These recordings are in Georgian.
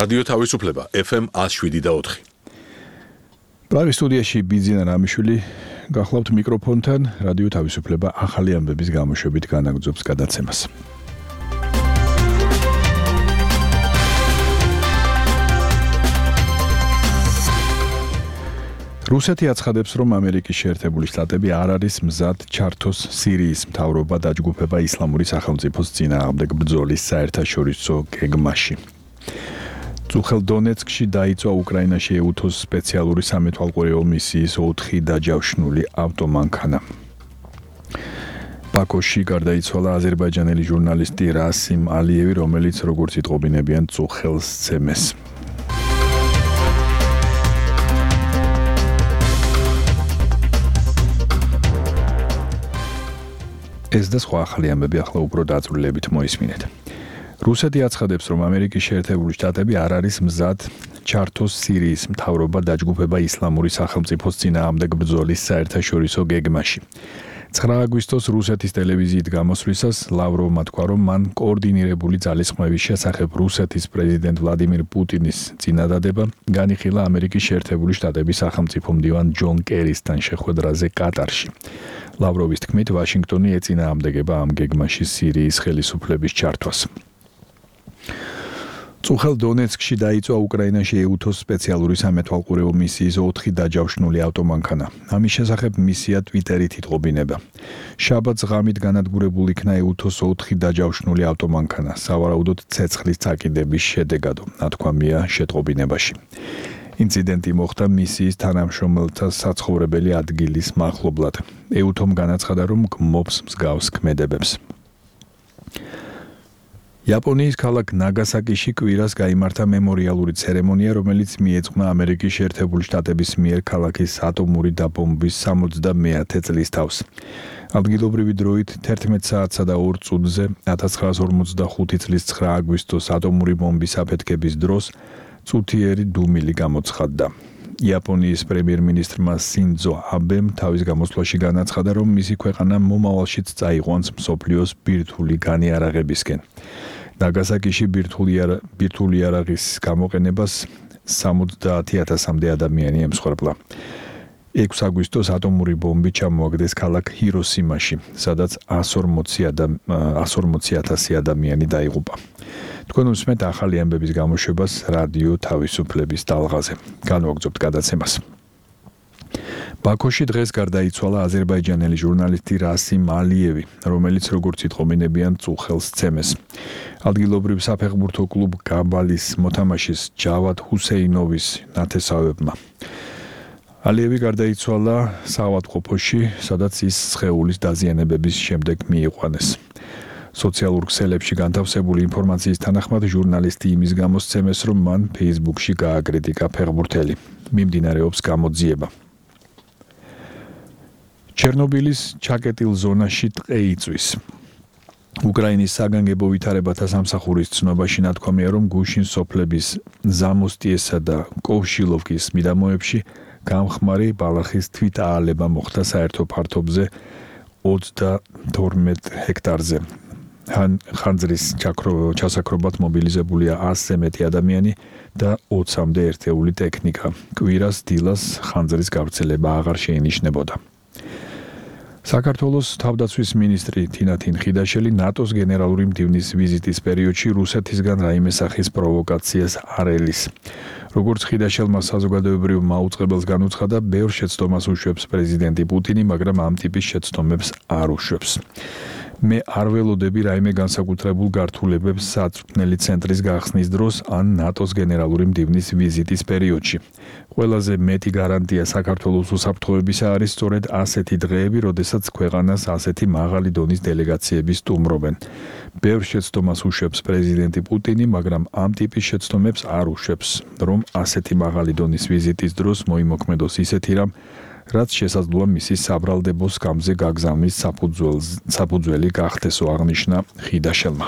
რადიო თავისუფლება FM 107.4. პრაღის სტუდიაში ბიძინა რამიშვილი გახლავთ მიკროფონთან რადიო თავისუფლება ახალი ამბების გამოშვებით განაგრძობს გადაცემას. რუსეთი აცხადებს, რომ ამერიკის შეერთებული შტატები არ არის მზად ჩართოს სირიის მთავრობა დაჯგუფება ისლამური სახელმწიფოს წინააღმდეგ ბრძოლის საერთაშორისო გეგმაში. წუხელ დონეცკში დაიწვა უკრაინაში ეუთოს სპეციალური სამეთვალყურეო მისიის 4 დაჯავშნული ავტომანქანა. ბაქოში გარდაიცვალა აზერბაიჯანელი ჟურნალისტი რასიმ ალიევი, რომელიც როგორც იტყობინებიან წუხელს სცემეს. ეს და სხვა ახალი ამბები ახლა უფრო დაწვრილებით მოისმინეთ. რუსეთი აცხადებს, რომ ამერიკის შეერთებული შტატები არ არის მზად ჩართოს სირიის მთავრობა დაჯგუფება ისლამური სახელმწიფოს წინააღმდეგ ბრძოლის საერთაშორისო გეგმაში. 9 აგვისტოს რუსეთის ტელევიზიით გამოსვლისას ლავროვმა თქვა, რომ მან კოორდინირებული ძალისხმევის შესახებ რუსეთის პრეზიდენტ ვლადიმირ პუტინის წინადადება განიხილა ამერიკის შეერთებული შტატების სახელმწიფო მდივან ჯონ კერისთან შეხვედრაზე კატარში. ლავროვის თქმით, ვაშინგტონი ეწინააღმდეგება ამ გეგმაში სირიის ხელისუფლების ჩართვას. წუხელ დონეცკში დაიწვა უკრაინაში ეუთოს სპეციალური სამეთვალყურეო მისიის 4 დაჯავშნული ავტომანქანა. ამის შესახებ მისია ტვიტერით იტყობინება. შაბათს ღამით განადგურებულ იქნა ეუთოს 4 დაჯავშნული ავტომანქანა, სავარაუდოდ ცეცხლის წაკიდების შედეგადო, ნათქვამია შეტყობინებაში. ინციდენტი მოხდა მისიის თანამშრომელთა საცხოვრებელი ადგილის მახლობლად. ეუთომ განაცხადა, რომ გმობს მსგავს ქმედებებს. იაპონიის ქალაქ ნაგასაკიში კვირას გაიმართა მემორიალური ცერემონია, რომელიც მიეძღვნა ამერიკის შეერთებული შტატების მიერ ქალაქის ატომური დაბომბვის 70-მეათე წლის თავს. ადგილობრივი დროით 11 საათსა და 2 წუთზე 1945 წლის 9 აგვისტოს ატომური ბომბის აფეთქების დროს წუთიერი დუმილი გამოცხადდა. იაპონიის პრემიერ-მინისტრმა სინძო აბემ თავის გამოსვლაში განაცხადა, რომ მისი ქვეყანა მომავალშიც წაიყვანს მსოფლიოს ბირთვული განიარაღებისკენ. ნაგასაკიში ბირთვული იარაღის გამოყენებას 70,000-მდე ადამიანი ემსხვერპლა. 6 აგვისტოს ატომური ბომბი ჩამოაგდეს ქალაქ ჰიროსიმაში, სადაც 140,000 ადამიანი დაიღუპა. თქვენ უსმენთ ახალი ამბების გამოშვებას რადიო თავისუფლების ტალღაზე. განვაგრძობთ გადაცემას. ბაქოში დღეს გარდაიცვალა აზერბაიჯანელი ჟურნალისტი რასიმ ალიევი, რომელიც როგორც იტყობინებიან წუხელს სცემეს. ადგილობრივ საფეხბურთო კლუბ გაბალის მოთამაშის ჯავად ჰუსეინოვის ნათესავებმა. ალიევი გარდაიცვალა საავადმყოფოში, სადაც ის სხეულის დაზიანებების შემდეგ მიიყვანეს. სოციალურ ქსელებში განთავსებული ინფორმაციის თანახმად ჟურნალისტი იმის გამოსცემეს, რომ მან Facebook-ში გააკრიტიკა ფეხბურთელი. მიმდინარეობს გამოძიება. ჩერნობილის ჩაკეტილ ზონაში ტყე იწვის. უკრაინის საგანგებო ვითარებათა სამსახურის ცნობაში ნათქვამია, რომ გუშინ სოფლების ზამოსტიესა და კოვშილოვკის მიდამოებში გამხმარი ბალახის თვითაალება მოხდა საერთო ფართობზე 22 ჰექტარზე. ხანძრის ჩასაქრობად მობილიზებულია 100-ზე მეტი ადამიანი და 20-მდე ერთეული ტექნიკა. კვირას დილას ხანძრის გავრცელება აღარ შეინიშნებოდა. საქართველოს თავდაცვის მინისტრი თინათინ ხიდაშელი ნატოს გენერალური მდივნის ვიზიტის პერიოდში რუსეთისგან რაიმე სახის პროვოკაციას არ ელის. როგორც ხიდაშელმა საზოგადოებრივ მაუწყებელს განუცხადა, ბევრ შეცდომას უშვებს პრეზიდენტი პუტინი, მაგრამ ამ ტიპის შეცდომებს არ უშვებს. მე არ ველოდები რაიმე განსაკუთრებულ გართულებებს საწვრთნელი ცენტრის გახსნის დროს ან ნატოს გენერალური მდივნის ვიზიტის პერიოდში. ყველაზე მეტი გარანტია საქართველოს უსაფრთხოებისა არის სწორედ ასეთი დღეები, როდესაც ქვეყანას ასეთი მაღალი დონის დელეგაციები სტუმრობენ. ბევრ შეცდომას უშვებს პრეზიდენტი პუტინი, მაგრამ ამ ტიპის შეცდომებს არ უშვებს, რომ ასეთი მაღალი დონის ვიზიტის დროს მოიმოქმედოს ისეთი რამ, რაც შესაძლოა მისი საბრალდებო სკამზე გაგზავნის საფუძველი გახდესო, აღნიშნა ხიდაშელმა.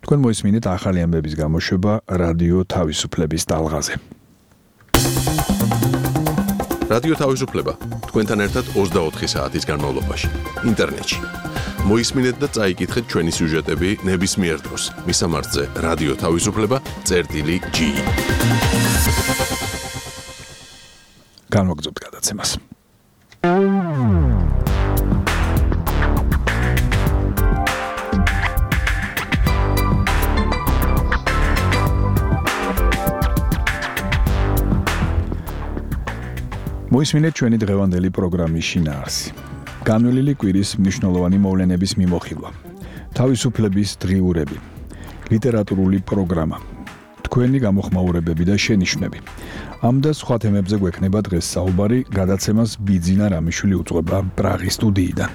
თქვენ მოისმინეთ ახალი ამბების გამოშვება რადიო თავისუფლების ტალღაზე. რადიო თავისუფლება თქვენთან ერთად 24 საათის განმავლობაში ინტერნეტში. მოისმინეთ და წაიკითხეთ ჩვენი სიუჟეტები ნებისმიერ დროს. მისამართზე რადიო თავისუფლება.gi. განვაგრძობთ გადაცემას. მოისმინეთ ჩვენი დღევანდელი პროგრამის შინაარსი. განვლილი კვირის მნიშვნელოვანი მოვლენების მიმოხილვა. თავისუფლების დღიურები. ლიტერატურული პროგრამა. თქვენი გამოხმაურებები და შენიშვნები. ამ და სხვა თემებზე გვექნება დღეს საუბარი, გადაცემას ბიძინა რამიშვილი უძღვება პრაღის სტუდიიდან.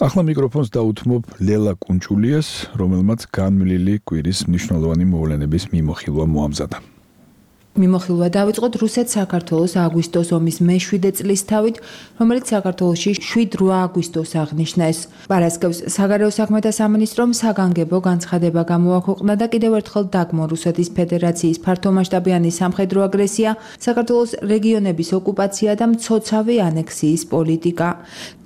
ახლა მიკროფონს დაუთმობ ლელა კუნჭულიას, რომელმაც განვლილი კვირის მნიშვნელოვანი მოვლენების მიმოხილვა მოამზადა. მიმოხილვა დავიწყოთ რუსეთ-საქართველოს აგვისტოს ომის მე-7 წლისთავით, რომელიც საქართველოში 7-8 აგვისტოს აღნიშნეს. პარასკევს საგარეო საქმეთა სამინისტრომ საგანგებო განცხადება გამოაქვეყნა და კიდევ ერთხელ დაგმო რუსეთის ფედერაციის ფართომასშტაბიანი სამხედრო აგრესია, საქართველოს რეგიონების ოკუპაცია და მცოცავი ანექსიის პოლიტიკა.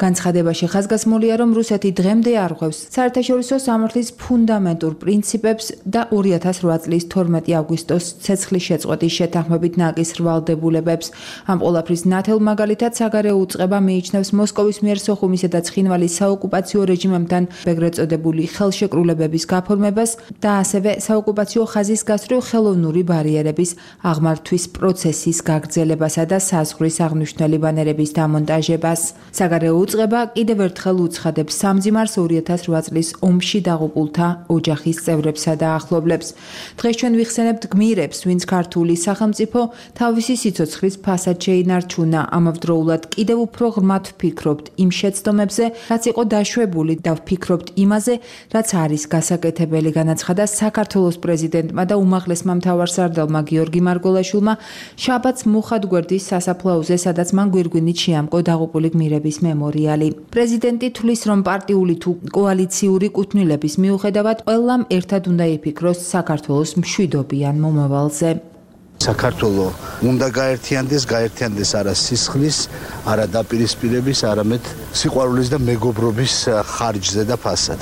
განცხადებაში ხაზგასმულია, რომ რუსეთი დღემდე არღვევს საერთაშორისო სამართლის ფუნდამენტურ პრინციპებს და 2008 წლის 12 აგვისტოს ცეცხლის შეწყვეტის შეთანხმებით ნაკის რვალდებულებებს. ამ ყველაფრის ნათელ მაგალითად საგარეო უწყება მიიჩნევს მოსკოვის მიერ სოხუმისა და ცხინვალის საოკუპაციო რეჟიმებთან ეგრეთ წოდებული ხელშეკრულებების გაფორმებას და ასევე საოკუპაციო ხაზის გასწვრივ ხელოვნური ბარიერების აღმართვის პროცესის გაგრძელებასა და საზღვრის აღმნიშვნელი ბანერების დამონტაჟებას. საგარეო უწყება კიდევ ერთხელ უცხადებს სამძიმარს 2008 წლის ომში დაღუპულთა ოჯახის წევრებსა და ახლობლებს. დღეს ჩვენ ვიხსენებთ გმირებს, ვინც ქართული სახელმწიფო თავისი სიცოცხლის ფასად შეინარჩუნა. ამავდროულად კიდევ უფრო ღრმად ვფიქრობთ იმ შეცდომებზე, რაც იყო დაშვებული და ვფიქრობთ იმაზე, რაც არის გასაკეთებელი, განაცხადა საქართველოს პრეზიდენტმა და უმაღლესმა მთავარსარდალმა გიორგი მარგოლაშვილმა შაბათს მუხათგვერდის სასაფლაოზე, სადაც მან გვირგვინით შეამკო დაღუპული გმირების მემორიალი. პრეზიდენტი თვლის, რომ პარტიული თუ კოალიციური კუთვნილების მიუხედავად ყველამ ერთად უნდა იფიქროს საქართველოს მშვიდობიან მომავალზე. საქართველო უნდა გაერთიანდეს არა სისხლის, არა დაპირისპირების, არამედ სიყვარულის და მეგობრობის ხარჯზე და ფასად.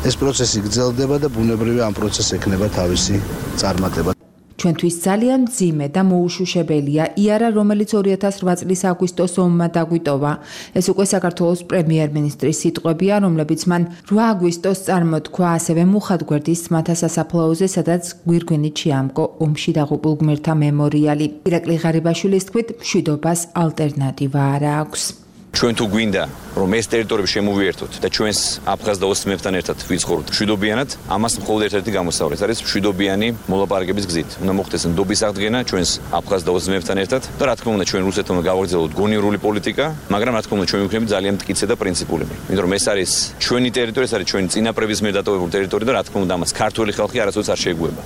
ეს პროცესი გრძელდება და ბუნებრივია ამ პროცესს ექნება თავისი წარმატება. ჩვენთვის ძალიან მძიმე და მოუშუშებელია იარა, რომელიც 2008 წლის აგვისტოს ომმა დაგვიტოვა. ეს უკვე საქართველოს პრემიერ-მინისტრის სიტყვებია, რომლებიც მან 8 აგვისტოს წარმოთქვა ასევე მუხათგვერდის ძმათა სასაფლაოზე, სადაც გვირგვინით შეამკო ომში დაღუპულ გმირთა მემორიალი. ირაკლი ღარიბაშვილის თქმით, მშვიდობას ალტერნატივა არ აქვს. ჩვენ თუ გვინდა რომ ეს ტერიტორიები შემოვიერთოთ და ჩვენს აფხაზ და ოსმებთან ერთად ვიცხოვროთ მშვიდობიანად, ამას მხოლოდ ერთ-ერთი გამოსავალი არის მშვიდობიანი მოლაპარაკების გზით. უნდა მოხდეს ნდობის აღდგენა ჩვენს აფხაზ და ოსმებთან ერთად და რა თქმა უნდა ჩვენ რუსეთთან გავაგრძელოთ გონივრული პოლიტიკა, მაგრამ რა თქმა უნდა ჩვენ ვიქნებით ძალიან მტკიცე და პრინციპულები. იმიტომ რომ ეს არის ჩვენი ტერიტორია, ეს არის ჩვენი წინაპრების მიერ დატოვებული ტერიტორია და რა თქმა უნდა ამას ქართული ხალხი არასოდეს არ შეეგუება.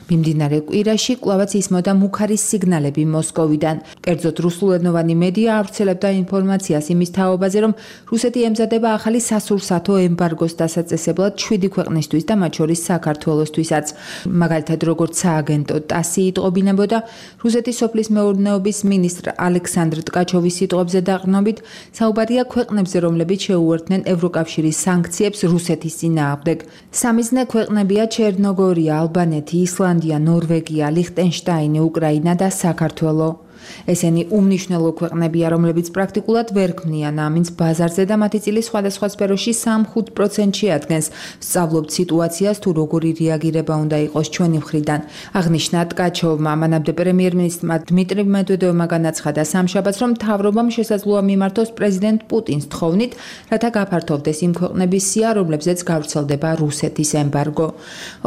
მიმდინარე კვირაში კვლავაც ისმოდა მუქარის სიგნალები მოსკოვიდან. კერძოდ რუსულენოვანი მედია ავრცელებდა ინფორმაციას იმის თაობაზე, რომ რუსეთი ემზადება ახალი სასურსათო ემბარგოს დასაწესებლად 7 ქვეყნისთვის და მათ შორის საქართველოსთვისაც. მაგალითად, როგორც სააგენტო ტასი იტყობინებოდა, რუსეთის სოფლის მეურნეობის მინისტრ ალექსანდრ ტკაჩოვის სიტყვებზე დაყრდნობით, საუბარია ქვეყნებზე, რომლებიც შეუერთდნენ ევროკავშირის სანქციებს რუსეთის წინააღმდეგ. სამიზნე ქვეყნებია ჩერნოგორია, ალბანეთი, ისლანდია, ნორვეგია, ლიხტენშტაინი, უკრაინა და საქართველო. ესენი უმნიშვნელო ქვეყნებია, რომლებიც პრაქტიკულად ვერ ქმნიან ამინს ბაზარზე და მათი წილი სხვადასხვა სფეროში 3-5%-ში ადგენს. ვსწავლობთ სიტუაციას, თუ როგორი რეაგირება უნდა იყოს ჩვენი მხრიდან. აღნიშნა ტკაჩოვმა, მანამდე პრემიერ-მინისტრმა დმიტრი მედვედევმა განაცხადა სამშაბათს, რომ მთავრობამ შესაძლოა მიმართოს პრეზიდენტ პუტინს თხოვნით, რათა გაფართოვდეს იმ ქვეყნების სია, რომლებზეც გავრცელდება რუსეთის ემბარგო.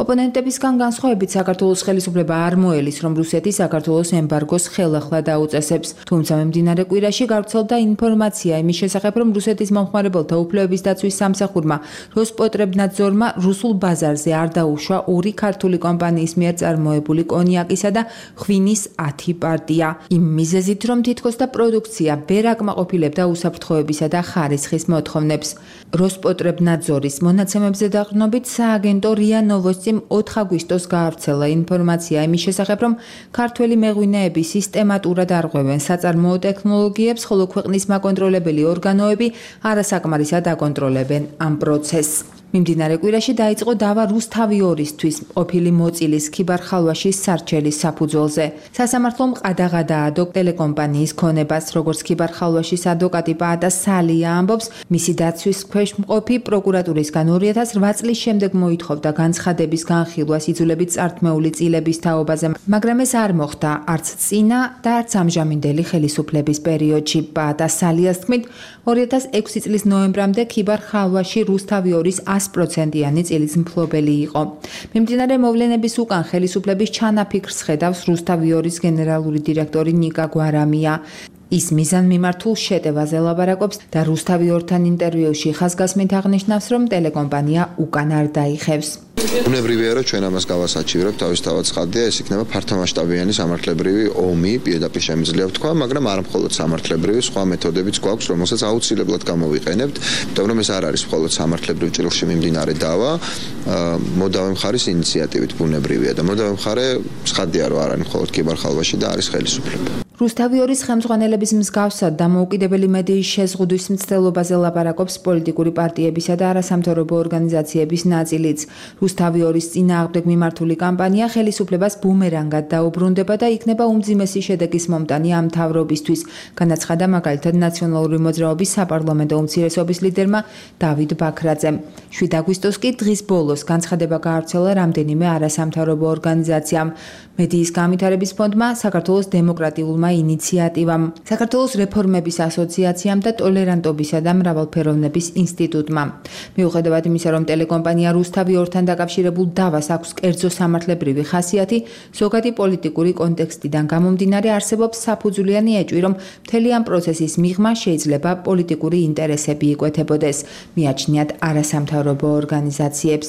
ოპონენტებისგან განსხვავებით, საქართველოს ხელისუფლება არ მოელის, რომ რუსეთი საქართველოს ემბარგოს ხელახლა სხვა დაუწესებს. თუმცა მიმდინარე კვირაში გავრცელდა ინფორმაცია იმის შესახებ, რომ რუსეთის მომხმარებელთა უფლებების დაცვის სამსახურმა როსპოტრებნადზორმა რუსულ ბაზარზე არ დაუშვა 2 ქართული კომპანიის მიერ წარმოებული კონიაკისა და ღვინის 10 პარტია. იმ მიზეზით, რომ თითქოს და პროდუქცია ვერ აკმაყოფილებდა უსაფრთხოებისა და ხარისხის მოთხოვნებს. როსპოტრებნადზორის მონაცემებზე დაყრდნობით სააგენტო რია ნოვოსტიმ 4 აგვისტოს გაავრცელა ინფორმაცია იმის შესახებ, რომ ქართველი მეღვინეები სისტემატურად არღვევენ საწარმოო ტექნოლოგიებს, ხოლო ქვეყნის მაკონტროლებელი ორგანოები არასაკმარისად აკონტროლებენ ამ პროცესს. მიმდინარე კვირაში დაიწყო დავა რუსთავი-2-ისთვის ყოფილი მოწილის ქიბარ-ხალვაშის სარჩელის საფუძველზე. სასამართლომ ყადაღადაადო ტელეკომპანიის ქონებას, როგორც ქიბარ-ხალვაშის ადვოკატი პაატა სალია ამბობს, მისი დაცვის ქვეშ მყოფი პროკურატურისგან 2008 წლის შემდეგ მოითხოვდა განცხადების განხილვას იძულებით წართმეული წილების თაობაზე, მაგრამ ეს არ მოხდა არც წინა და არც ამჟამინდელი ხელისუფლების პერიოდში. პაატა სალიას თქმით, 2006 წლის ნოემბრამდე ქიბარ-ხალვაში რუსთავი-2-ის 100%-იანი წილის მფლობელი იყო. მიმდინარე მოვლენების უკან ხელისუფლების ჩანაფიქრს ხედავს რუსთავი-2-ის გენერალური დირექტორი ნიკა გვარამია. ის მიზანმიმართულ შეტევაზე ლაბარაკობს და რუსთავი-2-თან ინტერვიუში ხაზგასმით აღნიშნავს, რომ ტელეკომპანია უკან არ დაიხევს. უნებრივია, რომ ჩვენ ამას გავასაჩივრებთ, თავისთავად ცხადია, ეს იქნება ფართომასშტაბიანი სამართლებრივი ომი, პირდაპირ შემიძლია ვთქვა, მაგრამ არა მხოლოდ სამართლებრივი, სხვა მეთოდებიც გვაქვს, რომელსაც აუცილებლად გამოვიყენებთ, იმიტომ რომ ეს არ არის მხოლოდ სამართლებრივ ჭრილში მიმდინარე დავა, მოდავე მხარის ინიციატივით ბუნებრივია და მოდავე მხარე ცხადია, რომ არ არის მხოლოდ ქიბარ-ხალვაში და არის ხელისუფლება. რუსთავი-2-ის ხელმძღვანელების მსგავსად დამოუკიდებელი მედიის შეზღუდვის მცდელობაზე ლაბარაკობს პოლიტიკური პარტიებისა და არასამთავრობო ორგანიზაციების ნაწილიც. რუსთავი-2-ის წინააღმდეგ მიმართული კამპანია ხელისუფლებას ბუმერანგად დაუბრუნდება და იქნება უმძიმესი შედეგის მომტანი ამ მთავრობისთვის, განაცხადა მაგალითად ნაციონალური მოძრაობის საპარლამენტო უმცირესობის ლიდერმა დავით ბაქრაძემ. 7 აგვისტოს კი დღის ბოლოს განცხადება გაავრცელა რამდენიმე არასამთავრობო ორგანიზაციამ. მედიის განვითარების ფონდმა, საქართველოს დემოკრატიულმა ინიციატივამ, საქართველოს რეფორმების ასოციაციამ და ტოლერანტობისა და მრავალფეროვნების ინსტიტუტმა. მიუხედავად იმისა, რომ ტელეკომპანია რუსთავი-2-თან დაკავშირებულ დავას აქვს კერძო სამართლებრივი ხასიათი, ზოგადი პოლიტიკური კონტექსტიდან გამომდინარე არსებობს საფუძვლიანი ეჭვი, რომ მთელი ამ პროცესის მიღმა შეიძლება პოლიტიკური ინტერესები იკვეთებოდეს, მიაჩნიათ არასამთავრობო ორგანიზაციებს.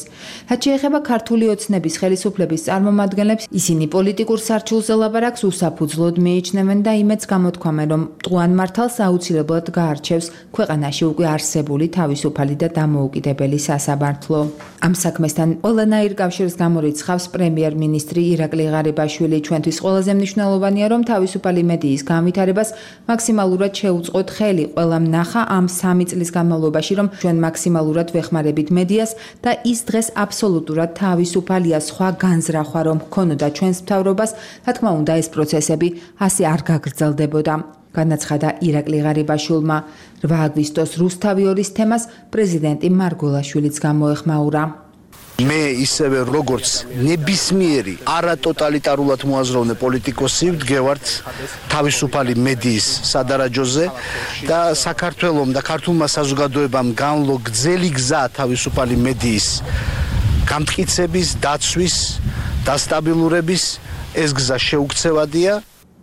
რაც შეეხება ქართული ოცნების ხელისუფლების წარმომადგენლებს, ისინი პოლიტიკურ სარჩულზე ლაბარაკს უსაფუძვლოდ მიიჩნევენ და იმედს გამოთქვამენ, რომ მტყუან მართალს აუცილებლად გაარჩევს ქვეყანაში უკვე არსებული თავისუფალი და დამოუკიდებელი სასამართლო. ამ საქმესთან ყველანაირ კავშირს გამორიცხავს პრემიერ-მინისტრი ირაკლი ღარიბაშვილი. ჩვენთვის ყველაზე მნიშვნელოვანია, რომ თავისუფალი მედიის განვითარებას მაქსიმალურად შეუწყოთ ხელი. ყველამ ნახა ამ 3 წლის განმავლობაში, რომ ჩვენ მაქსიმალურად ვეხმარებით მედიას და ის დღეს აბსოლუტურად თავისუფალია. სხვა განზრახვა რომ ქონოდა ჩვენს მთავრობას, რა თქმა უნდა ეს პროცესები ასე არ გაგრძელდებოდა. განაცხადა ირაკლი ღარიბაშვილმა. 8 აგვისტოს რუსთავი-2-ის თემას პრეზიდენტი მარგოლაშვილიც გამოეხმაურა. მე ისევე როგორც ნებისმიერი არატოტალიტარულად მოაზროვნე პოლიტიკოსი ვდგევართ თავისუფალი მედიის სადარაჯოზე და საქართველოს და ქართულმა საზოგადოებამ განლო გრძელი გზა თავისუფალი მედიის გამტკიცების, დაცვის, დასტაბილურების ეს გზა შეუქცევადია.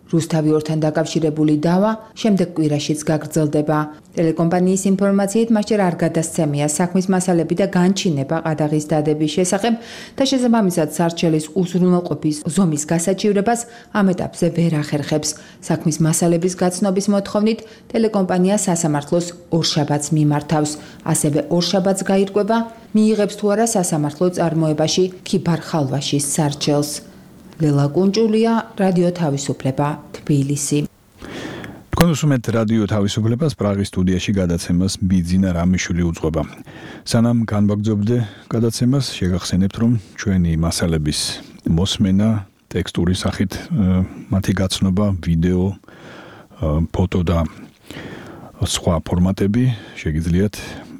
რუსთავი-2-თან დაკავშირებული დავა შემდეგ კვირაშიც გაგრძელდება. ტელეკომპანიის ინფორმაციით მასჯერ არ გადასცემია საქმის მასალები და განჩინება ყადაღის დადების შესახებ და შესაბამისად სარჩელის უზრუნველყოფის ზომის გასაჩივრებას ამ ეტაპზე ვერ ახერხებს. საქმის მასალების გაცნობის მოთხოვნით ტელეკომპანია სასამართლოს ორშაბათს მიმართავს. ასევე ორშაბათს გაირკვევა მიიღებს თუ არა სასამართლო წარმოებაში ქიბარ-ხალვაშის სარჩელს. ლელა კუნჭულია, რადიო თავისუფლება, თბილისი. თქვენ უსმენთ რადიო თავისუფლებას, პრაღის სტუდიაში გადაცემას ბიძინა რამიშვილი უძღვება. სანამ განვაგრძობდე გადაცემას, შეგახსენებთ, რომ ჩვენი მასალების მოსმენა, ტექსტური სახით მათი გაცნობა, ვიდეო, ფოტო და სხვა ფორმატები შეგიძლიათ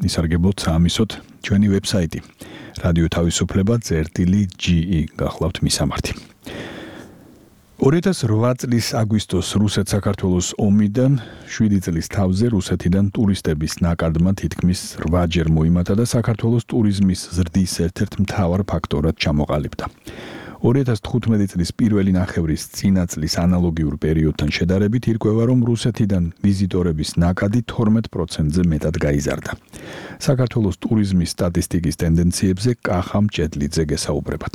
ისარგებლოთ საამისოდ ჩვენი ვებსაიტი რადიო თავისუფლება.ge გახლავთ მისამართი. 2008 წლის აგვისტოს რუსეთ-საქართველოს ომიდან 7 წლის თავზე რუსეთიდან ტურისტების ნაკადმა თითქმის 8-ჯერ მოიმატა და საქართველოს ტურიზმის ზრდის ერთ-ერთ მთავარ ფაქტორად ჩამოყალიბდა. 2015 წლის პირველი ნახევრის წინა წლის ანალოგიურ პერიოდთან შედარებით ირკვევა, რომ რუსეთიდან ვიზიტორების ნაკადი 12%-ზე მეტად გაიზარდა. საქართველოს ტურიზმის სტატისტიკის ტენდენციებზე კახა მჭედლიძე გესაუბრებათ.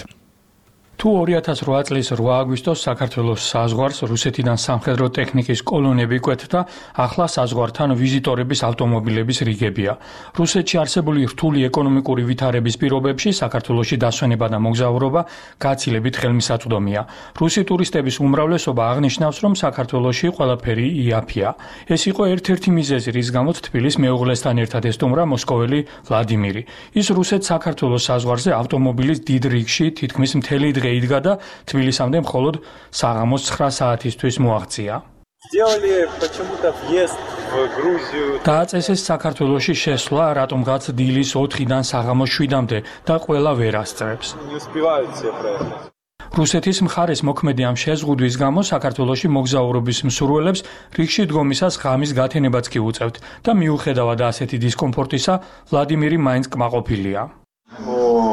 თუ 2008 წლის 8 აგვისტოს საქართველოს საზღვარს რუსეთიდან სამხედრო ტექნიკის კოლონები კვეთდა, ახლა საზღვართან ვიზიტორების ავტომობილების რიგებია. რუსეთში არსებული რთული ეკონომიკური ვითარების პირობებში საქართველოში დასვენება და მოგზაურობა გაცილებით ხელმისაწვდომია. რუსი ტურისტების უმრავლესობა აღნიშნავს, რომ საქართველოში ყველაფერი იაფია. ეს იყო ერთ-ერთი მიზეზი, რის გამოც თბილის მეუღლესთან ერთად ესტუმრა მოსკოველი ვლადიმირი. ის რუსეთ-საქართველოს საზღვარზე ავტომობილის დიდ რიგში თითქმის მთელი დღე იდგა და თბილისამდე მხოლოდ საღამოს 9 საათისთვის მოაღწია. დააწესეს საქართველოში შესვლა, რატომღაც დილის 4-დან საღამოს 7-მდე და ყველა ვერ ასწრებს. რუსეთის მხარეს მოქმედი ამ შეზღუდვის გამო საქართველოში მოგზაურობის მსურველებს რიგში დგომისას ღამის გათენებაც კი უწევთ და მიუხედავად ასეთი დისკომფორტისა, ვლადიმირი მაინც კმაყოფილია.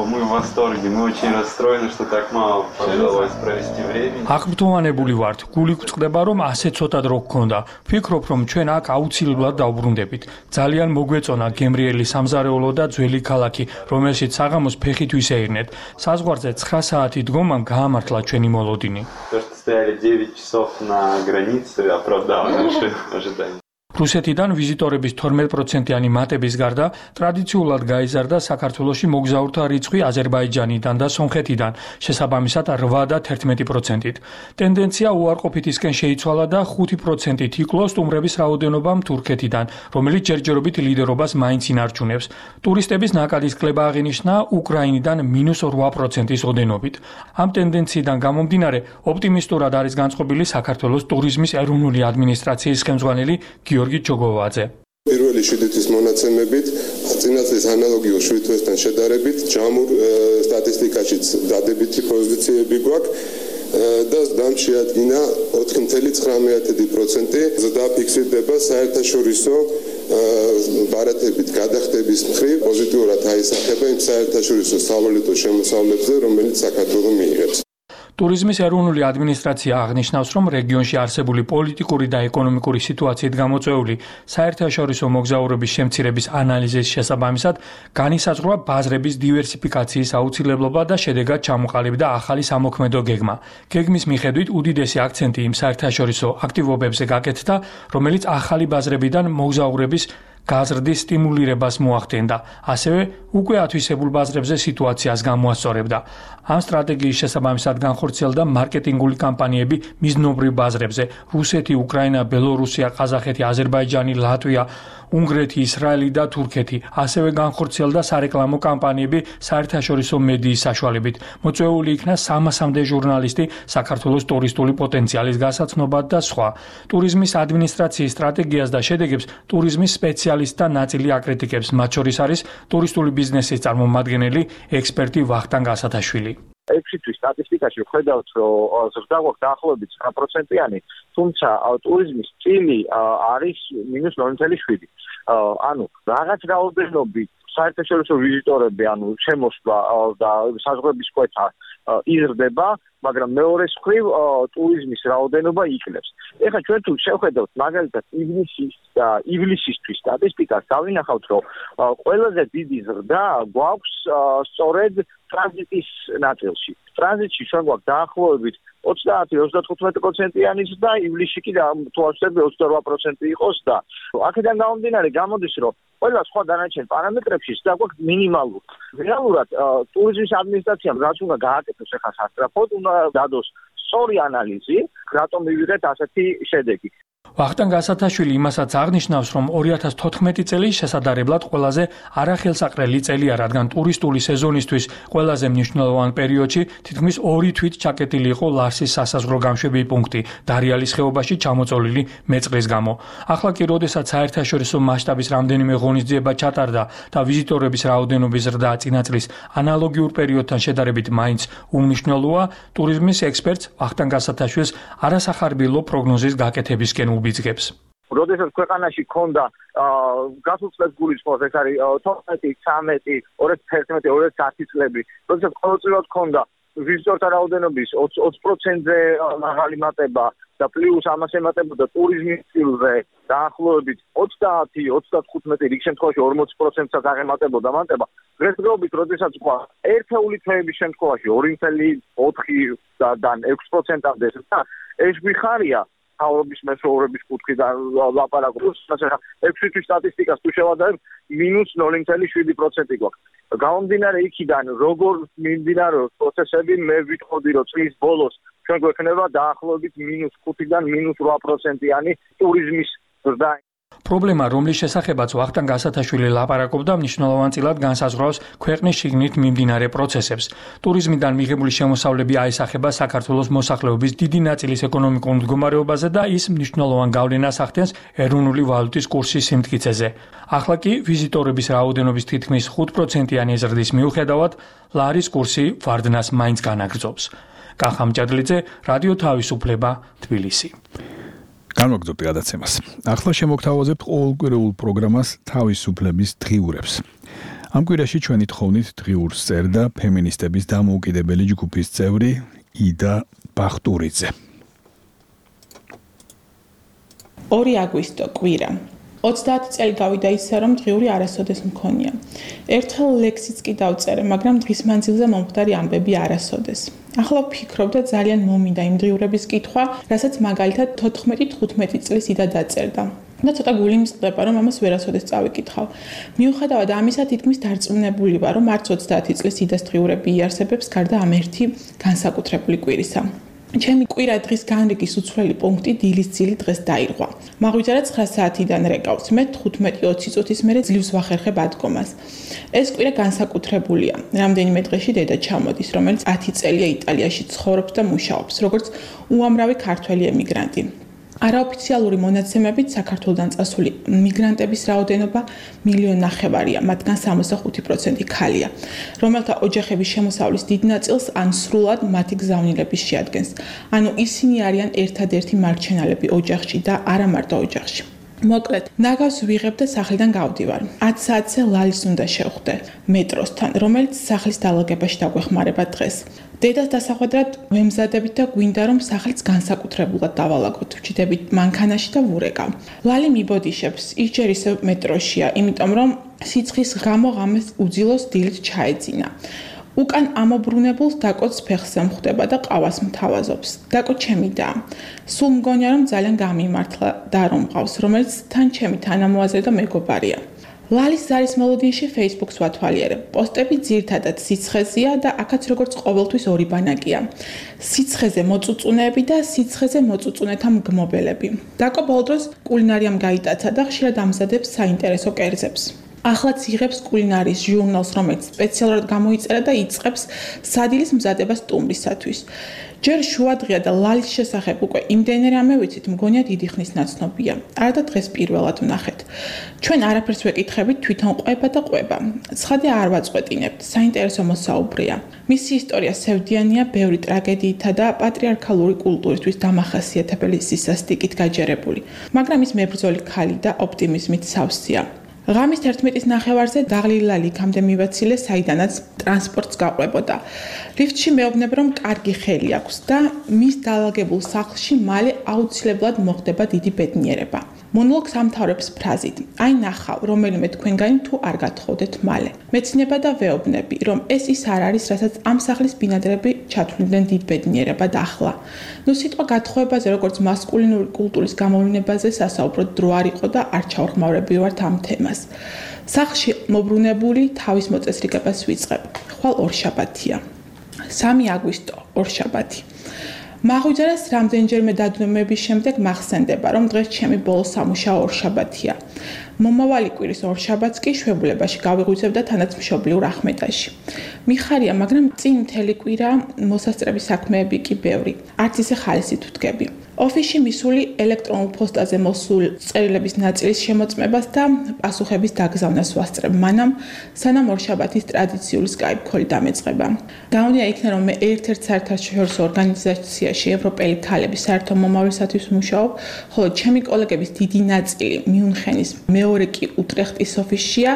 Мы в восторге, мы очень расстроены, что так мало удалось провести времени. აღბრძოვანებული ვართ, გული გვწყდება, რომ ასე ცოტა დრო გქონდა. ვფიქრობ, რომ ჩვენ აქ აუცილებლად დავბრუნდებით. ძალიან მოგვეწონა გემრიელი სამზარეულო და ძველი ქალაქი, რომელშიც საღამოს ფეხით ვისეირნეთ. საზღვარზე 9 საათი დგომამ გაამართლა ჩვენი მოლოდინი. То, что стояли 9 часов на границе, оправдало наши ожидания. რუსეთიდან ვიზიტორების 12%-იანი მატების გარდა ტრადიციულად გაიზარდა საქართველოში მოგზაურთა რიცხვი აზერბაიჯანიდან და სომხეთიდან, შესაბამისად 8 და 11%-ით. ტენდენცია უარყოფითისკენ შეიცვალა და 5%-ით იკლო სტუმრების რაოდენობამ თურქეთიდან, რომელიც ჯერჯერობით ლიდერობას მაინც ინარჩუნებს. ტურისტების ნაკადის კლება აღინიშნა უკრაინიდან -8%-ის ოდენობით. ამ ტენდენციიდან გამომდინარე, ოპტიმისტურად არის განწყობილი საქართველოს ტურიზმის ეროვნული ადმინისტრაციის ხელმძღვანელი გიორგი ჯოგოვაძე. პირველი 7 თვის მონაცემებით, წინა წლის ანალოგიურ 7 თვესთან შედარებით, ჯამურ სტატისტიკაშიც დადებითი პოზიციები გვაქვს და დამშეადგინა 4.9%. ზრდა ფიქსირდება საერთაშორისო ბარათებით გადახდების მხრივ, პოზიტიურად აისახება იმ საერთაშორისო სავალუტო შემოსავლებზე, რომელიც საქართველო მიიღებს. ტურიზმის ეროვნული ადმინისტრაცია აღნიშნავს, რომ რეგიონში არსებული პოლიტიკური და ეკონომიკური სიტუაციით გამოწვეული საერთაშორისო მოგზაურობის შემცირების ანალიზის შესაბამისად განისაზღვრა ბაზრების დივერსიფიკაციის აუცილებლობა და შედეგად ჩამოყალიბდა ახალი სამოქმედო გეგმა. გეგმის მიხედვით უდიდესი აქცენტი იმ საერთაშორისო აქტივობებზე გაკეთდა, რომელიც ახალი ბაზრებიდან მოგზაურების გაზრდის სტიმულირებას მოახდენდა, ასევე უკვე ათვისებულ ბაზრებზე სიტუაციას გამოასწორებდა. ამ სტრატეგიის შესაბამისად განხორციელდა მარკეტინგული კამპანიები მიზნობრივ ბაზრებზე: რუსეთი, უკრაინა, ბელორუსია, ყაზახეთი, აზერბაიჯანი, ლატვია, უნგრეთი, ისრაელი და თურქეთი. ასევე განხორციელდა სარეკლამო კამპანიები საერთაშორისო მედიის საშუალებით. მოწვეული იქნა 300-მდე ჟურნალისტი საქართველოს ტურისტული პოტენციალის გასაცნობად და სხვა. ტურიზმის ადმინისტრაციის სტრატეგიას და შედეგებს ტურიზმის სპეციალისტთა ნაწილი აკრიტიკებს, მათ შორის არის ტურისტული ბიზნესის წარმომადგენელი ექსპერტი ვახტანგ ასათაშვილი. 6 თვის სტატისტიკაში ვხედავთ, რომ ზრდა გვაქვს დაახლოებით 9%-იანი, თუმცა ტურიზმის წილი არის -0.7. ანუ რაღაც რაოდენობით საერთაშორისო ვიზიტორები, ანუ შემოსვლა და საზღვრების კვეთა იზრდება, მაგრამ მეორეს მხრივ ტურიზმის რაოდენობა იკლებს. ეხლა ჩვენ თუ შევხედავთ მაგალითად ივლისისთვის სტატისტიკას, დავინახავთ, რომ ყველაზე დიდი ზრდა გვაქვს სწორედ ტრანზიტის ნაწილში. ტრანზიტში ჩვენ გვაქვს დაახლოებით 30-35%-იანი ზრდა, ივლისში კი თუ ავსებდი 28% იყოს და აქედან გამომდინარე გამოდის, რომ ყველა სხვა დანარჩენ პარამეტრებში ზრდა გვაქვს მინიმალური. რეალურად ტურიზმის ადმინისტრაციამ რაც უნდა გააკეთოს ახლა სასწრაფოდ, უნდა დადოს სწორი ანალიზი, რატომ მივიღეთ ასეთი შედეგი. ვახტანგ ასათაშვილი იმასაც აღნიშნავს, რომ 2014 წელი შესაძლებლად ყველაზე არახელსაყრელი წელია, რადგან ტურისტული სეზონისთვის ყველაზე მნიშვნელოვან პერიოდში თითქმის 2 თვით ჩაკეტილი იყო ლარსის სასაზღვრო გამშვები პუნქტი დარიალის ხეობაში ჩამოწოლილი მეწყრის გამო. ახლა კი, როდესაც საერთაშორისო მასშტაბის რამდენიმე ღონისძიება ჩატარდა და ვიზიტორების რაოდენობის ზრდა წინა წლის ანალოგიურ პერიოდთან შედარებით მაინც უმნიშვნელოა, ტურიზმის ექსპერტს ვახტანგ ასათაშვილს არასახარბიელო პროგნოზის გაკეთებისკენ უბიძგებს. როდესაც ქვეყანაში ქონდა გასულ წლებს გულისხმობს, ეს არის 12, 13, 2011, 2010 წლები, როდესაც ყოველწლიურად ქონდა ვიზიტორთა რაოდენობის 20%-ზე მაღალი მატება და პლუს ამას ემატებოდა ტურიზმის სტილზე დაახლოებით 30-35 რიგ შემთხვევაში 40%-საც აღემატებოდა მატება. დღესდღეობით, როდესაც ყვა ერთეული თვეების შემთხვევაში 2.4-დან 6%-მდე და ეს გვიხარია თავრობის მეთაურების კუთხიდან ლაპარაკობს, მაგრამ 6 თვის სტატისტიკას თუ შევადარებ -0.7% გვაქვს. გამომდინარე იქიდან, როგორ მიმდინარეობს პროცესები, მე ვიტყოდი, რომ წლის ბოლოს ჩვენ გვექნება დაახლოებით -5-დან -8%-იანი ტურიზმის ზრდა. პრობლემა, რომლის შესახებაც ვახტანგ გასათაშვილი ლაპარაკობდა, მნიშვნელოვანწილად განსაზღვრავს ქვეყნის შიგნით მიმდინარე პროცესებს. ტურიზმიდან მიღებული შემოსავლები აისახება საქართველოს მოსახლეობის დიდი ნაწილის ეკონომიკურ მდგომარეობაზე და ის მნიშვნელოვან გავლენას ახდენს ეროვნული ვალუტის კურსის სიმტკიცეზე. ახლა კი ვიზიტორების რაოდენობის თითქმის 5%-იანი ზრდის მიუხედავად, ლარის კურსი ვარდნას მაინც განაგრძობს. კახამ ჭადლიძე, რადიო თავისუფლება, თბილისი. განვაგრძობთ გადაცემას. ახლა შემოგთავაზებთ ყოველკვირეულ პროგრამას თავისუფლების დღიურებს. ამ კვირაში ჩვენი თხოვნით დღიურს წერდა ფემინისტების დამოუკიდებელი ჯგუფის წევრი იდა ბახტურიძე. 2 აგვისტო კვირა. 30 წელი გავიდა ისე, რომ დღიური არასოდეს მქონია. ერთხელ ლექსიც კი დავწერე, მაგრამ დღის მანძილზე მომხდარი ამბები არასოდეს. ახლა ვფიქრობ და ძალიან მომინდა იმ დღიურების კითხვა, რასაც მაგალითად 14-15 წლის იდა დაწერდა. და ცოტა გული მწყდება, რომ ამას ვერასოდეს წავიკითხავ. მიუხედავად ამისა, თითქმის დარწმუნებული ვარ, რომ არც 30 წლის იდას დღიურები იარსებებს, გარდა ამ ერთი განსაკუთრებული კვირისა. ჩემი კვირა დღის განრიგის უცვლელი პუნქტი დილის ძილი დღეს დაირღვა. მაღვიძარა 9 საათიდან რეკავს, მე 15-20 წუთის მერე ძლივს ვახერხებ ადგომას. ეს კვირა განსაკუთრებულია. რამდენიმე დღეში დედა ჩამოდის, რომელიც 10 წელია იტალიაში ცხოვრობს და მუშაობს, როგორც უამრავი ქართველი ემიგრანტი. არაოფიციალური მონაცემებით საქართველოდან წასული მიგრანტების რაოდენობა 1.5 მილიონია, მათგან 65% ქალია, რომელთა ოჯახების შემოსავლის დიდ ნაწილს ან სრულად მათი გზავნილების შეადგენს. ანუ ისინი არიან ერთადერთი მარჩენალები ოჯახში და არა მარტო ოჯახში. მოკლედ, ნაგავს ვიღებ და სახლიდან გავდივარ. 10 საათზე ლალის უნდა შევხვდე მეტროსთან, რომელიც სახლის დალაგებაში დაგვეხმარება დღეს. დედას დასახვედრად ვემზადებით და გვინდა რომ სახლიც განსაკუთრებულად დავალაგოთ. ვჭიდებით მანქანაში და ვურეკავ. ლალი მიბოდიშებს, ის ჯერ ისევ მეტროშია, იმიტომ რომ სიცხის გამო ღამეს უძილოს დილით ჩაეძინა. უკან ამობრუნებულს დაკოც ფეხზე მხვდება და ყავას მთავაზობს. დაკო ჩემი და. სულ მგონია რომ ძალიან გამიმართლა და რომ მყავს, რომელიც თან ჩემი თანამოაზრე და მეგობარია. ლალის ზარის მოლოდინში Facebook-ს ვათვალიერებ. პოსტები ძირთადად სიცხეზეა და აქაც როგორც ყოველთვის ორი ბანაკია. სიცხეზე მოწუწუნეები და სიცხეზე მოწუწუნეთა მგმობელები. დაკო ბოლო დროს კულინარიამ გაიტაცა და ხშირად ამზადებს საინტერესო კერძებს. ახლაც იღებს კულინარიის ჟურნალს, რომელიც სპეციალურად გამოიწერა და იწყებს სადილის მზადებას სტუმრისათვის. ჯერ შუადღეა და ლალის შესახებ უკვე იმდენე რამე ვიცით, მგონია დიდი ხნის ნაცნობია. არა და დღეს პირველად ვნახეთ. ჩვენ არაფერს ვეკითხებით, თვითონ ყვება და ყვება. ცხადია არ ვაწყვეტინებთ, საინტერესო მოსაუბრეა. მისი ისტორია სევდიანია ბევრი ტრაგედიითა და პატრიარქალური კულტურისთვის დამახასიათებელი სისასტიკით გაჯერებული, მაგრამ ის მებრძოლი ქალი და ოპტიმიზმით სავსეა. ღამის 11-ის ნახევარზე დაღლილალი იქამდე მივაცილე, საიდანაც ტრანსპორტს გაყვებოდა. ლიფტში მეუბნებ, რომ კარგი ხელი აქვს და მის დალაგებულ სახლში მალე აუცილებლად მოხდება დიდი ბედნიერება. მონოლოგს ამთავრებს ფრაზით: "აი ნახავ, რომელიმე თქვენგანი თუ არ გათხოვდეთ მალე." მეცნება და ვეუბნები, რომ ეს ის არ არის, რასაც ამ სახლის ბინადრები ჩათვლიდნენ დიდ ბედნიერებად ახლა. ნუ სიტყვა გათხოვებაზე, როგორც მასკულინური კულტურის გამოვლინებაზე სასაუბროდ დრო არ იყო და არ ჩავხმაურებივართ ამ თემას. სახლში მობრუნებული თავის მოწესრიგებას ვიწყებ. ხვალ ორშაბათია. 3 აგვისტო, ორშაბათი. მაღვიძარას რამდენჯერმე დადნომების შემდეგ მახსენდება, რომ დღეს ჩემი ბოლო სამუშაო ორშაბათია. მომავალი კვირის ორშაბათს კი შვებულებაში გავიღვიძებ და თანაც მშობლიურ ახმეტაში. მიხარია, მაგრამ წინ მთელი კვირა მოსასწრები საქმეები კი ბევრი. არც ისე ხალისით ვდგები. ოფისში მისული ელექტრონულ პოსტაზე მოსულ წერილების ნაწილის შემოწმებას და პასუხების დაგზავნას ვასწრებ მანამ, სანამ ორშაბათის ტრადიციული Skype call დამეწყება. Გამოდია იქნა, რომ მე ერთ-ერთ საერთაშორისო ორგანიზაციაში ევროპელი ქალების საერთო მომავლისათვის ვმუშაობ, ხოლო ჩემი კოლეგების დიდი ნაწილი მიუნხენის, მეორე კი უტრეხტის ოფისშია.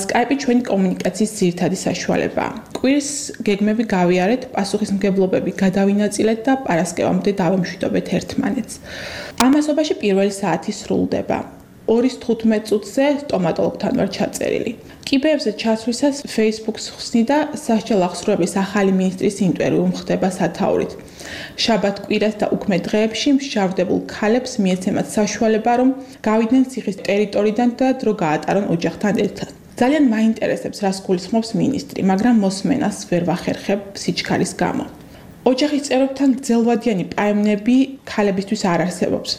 Skype-ი ჩვენი კომუნიკაციის ძირითადი საშუალებაა. კვირის გეგმები გავიარეთ, პასუხისმგებლობები გადავინაწილეთ და პარასკევამდე დავემშვიდობეთ ერთმანეთს. ამასობაში პირველი საათი სრულდება. 2:15 წუთზე სტომატოლოგთან ვარ ჩაწერილი. კიბეებზე ჩასვლისას Facebook-ს ხსნი და სასჯელ აღსრულების ახალი მინისტრის ინტერვიუ მხდება სათაურით. შაბათ-კვირას და უქმე დღეებში მსჯავრდებულ ქალებს მიეცემათ საშუალება, რომ გავიდნენ ციხის ტერიტორიიდან და დრო გაატარონ ოჯახთან ერთად. ძალიან მაინტერესებს, რას გულისხმობს მინისტრი, მაგრამ მოსმენას ვერ ვახერხებ სიჩქარის გამო. ოჯახის წევრებთან გრძელვადიანი პაემნები ქალებისთვის არ არსებობს.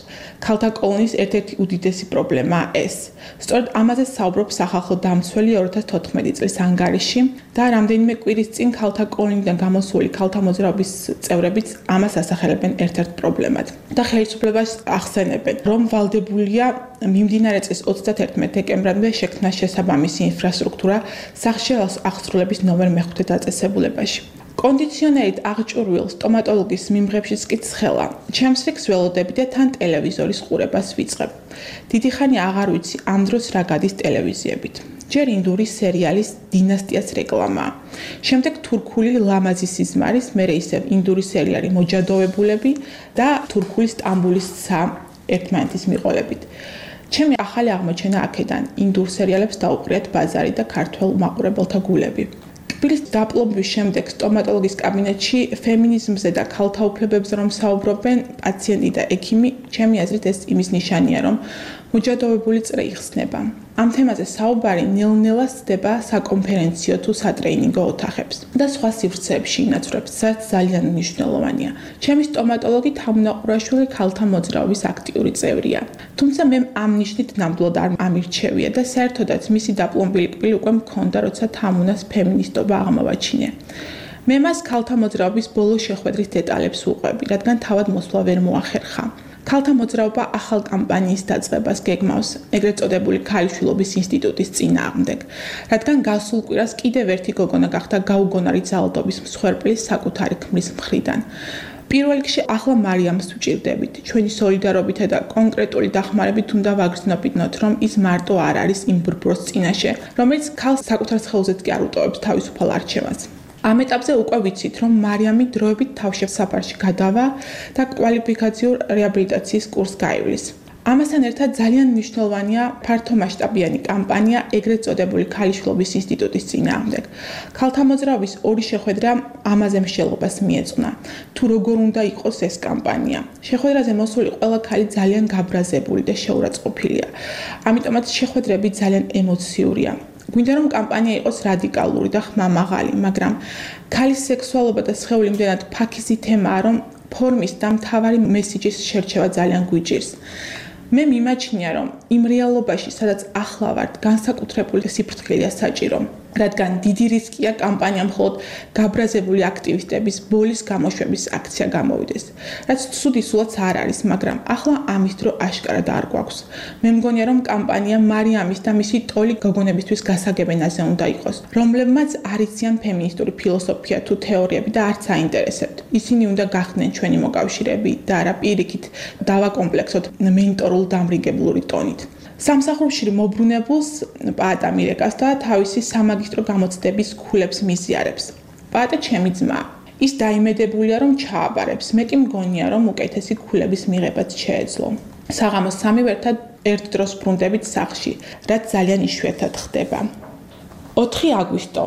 ქალთა კოლონის ერთ-ერთი უდიდესი პრობლემაა ეს. სწორედ ამაზე საუბრობს სახალხო დამცველი 2014 წლის ანგარიში და რამდენიმე კვირის წინ ქალთა კოლონიდან გამოსული ქალთა მოძრაობის წევრებიც ამას ასახელებენ ერთ-ერთ პრობლემად. და ხელისუფლებას ახსენებენ, რომ ვალდებულია მიმდინარე წლის 31 დეკემბრამდე შექმნა შესაბამისი ინფრასტრუქტურა სახშეალოს აღსრულების ნომერ მე-5 დაწესებულებაში. კონდიციონერით აღჭურვილ სტომატოლოგის მიმღებშიც კი ცხელა. ჩემს რიგს ველოდები და თან ტელევიზორის ყურებას ვიწყებ. დიდი ხანი აღარ ვიცი ამ დროს რა გადის ტელევიზიებით. ჯერ ინდური სერიალის დინასტიას რეკლამაა. შემდეგ თურქული ლამაზი სიზმარის, მერე ისევ ინდური სერიალი მოჯადოვებულები და თურქული სტამბულის ცა ერთმანეთის მიყოლებით. ჩემი ახალი აღმოჩენა აქედან ინდურ სერიალებს დაუყრიათ ბაზარი და ქართველ მაყურებელთა გულები. თბილის დაპლომების შემდეგ სტომატოლოგის კაბინეტში ფემინიზმზე და ქალთა უფლებებზე რომ საუბრობენ პაციენტი და ექიმი, ჩემი აზრით ეს იმის ნიშანია, რომ მოჯადოვებული წრე იხსნება. ამ თემაზე საუბარი ნელ-ნელა სდება საკონფერენციო თუ სატრეინინგო ოთახებს და სხვა სივრცეებში ინაცვლებს, რაც ძალიან მნიშვნელოვანია. ჩემი სტომატოლოგი თამუნაყურაშვილი ქალთა მოძრაობის აქტიური წევრია. თუმცა მე ამ ნიშნით ნამდვილად არ ამირჩევია და საერთოდაც მისი დაპლომბილი კბილი უკვე მქონდა, როცა თამუნას ფემინისტობა აღმოვაჩინე. მე მას ქალთა მოძრაობის ბოლო შეხვედრის დეტალებს ვუყვები, რადგან თავად მოსვლა ვერ მოახერხა. ქალთა მოძრაობა ახალ კამპანიის დაწყებას გეგმავს, ეგრეთ წოდებული ქალიშვილობის ინსტიტუტის წინააღმდეგ, რადგან გასულ კვირას კიდევ ერთი გოგონა გახდა გაუგონარი ძალადობის მსხვერპლის საკუთარი ქმრის მხრიდან. პირველ რიგში ახლა მარიამს ვჭირდებით. ჩვენი სოლიდარობითა და კონკრეტული დახმარებით უნდა ვაგრძნობინოთ, რომ ის მარტო არ არის იმ ბრბროს წინაშე, რომელიც ქალს საკუთარ სხეულზეც კი არ უტოვებს თავისუფალ არჩევანს. ამ ეტაპზე უკვე ვიცით, რომ მარიამი დროებით თავშესაფარში გადავა და კვალიფიკაციურ რეაბილიტაციის კურსს გაივლის. ამასთან ერთად ძალიან მნიშვნელოვანია ფართომასშტაბიანი კამპანია ეგრეთ წოდებული ქალიშვილობის ინსტიტუტის წინააღმდეგ. ქალთა მოძრაობის ორი შეხვედრა ამაზე მსჯელობას მიეწვნა. თუ როგორ უნდა იყოს ეს კამპანია? შეხვედრაზე მოსული ყველა ქალი ძალიან გაბრაზებული და შეურაცხყოფილია. ამიტომაც შეხვედრები ძალიან ემოციურია. გვინდა რომ კამპანია იყოს რადიკალური და ხმამაღალი, მაგრამ ქალის სექსუალობა და სხეული იმდენად ფაქიზი თემაა, რომ ფორმის და მთავარი მესიჯის შერჩევა ძალიან გვიჭირს. მე მიმაჩნია, რომ იმ რეალობაში, სადაც ახლა ვართ, განსაკუთრებული სიფრთხილეა საჭირო, რადგან დიდი რისკია კამპანია მხოლოდ გაბრაზებული აქტივისტების ბოლის გამოშვების აქცია გამოვიდეს. რაც ცუდი სულაც არ არის, მაგრამ ახლა ამის დრო აშკარად არ გვაქვს. მე მგონია, რომ კამპანია მარიამის და მისი ტოლი გოგონებისთვის გასაგებენაზე უნდა იყოს, რომლებმაც არ იციან ფემინისტური ფილოსოფია თუ თეორიები და არც აინტერესებთ. ისინი უნდა გახდნენ ჩვენი მოკავშირეები და არა პირიქით დავაკომპლექსოთ მენტორულ დამრიგებლური ტონით. სამსახურში მოbrunებულს პაატა მირეკას და თავისი სამაგისტრო გამოცდების ქულებს მიზიარებს. პაატა ჩემი ძმა. ის დაიმედებულია, რომ ჩააბარებს. მეტი მგონია, რომ უკეთესი ქულების მიღებაც შეეძლო. საღამოს 3 ერთად ერთ დროს ბრუნდებით სახლში, რაც ძალიან იშვიათად ხდება. 4 აგვისტო,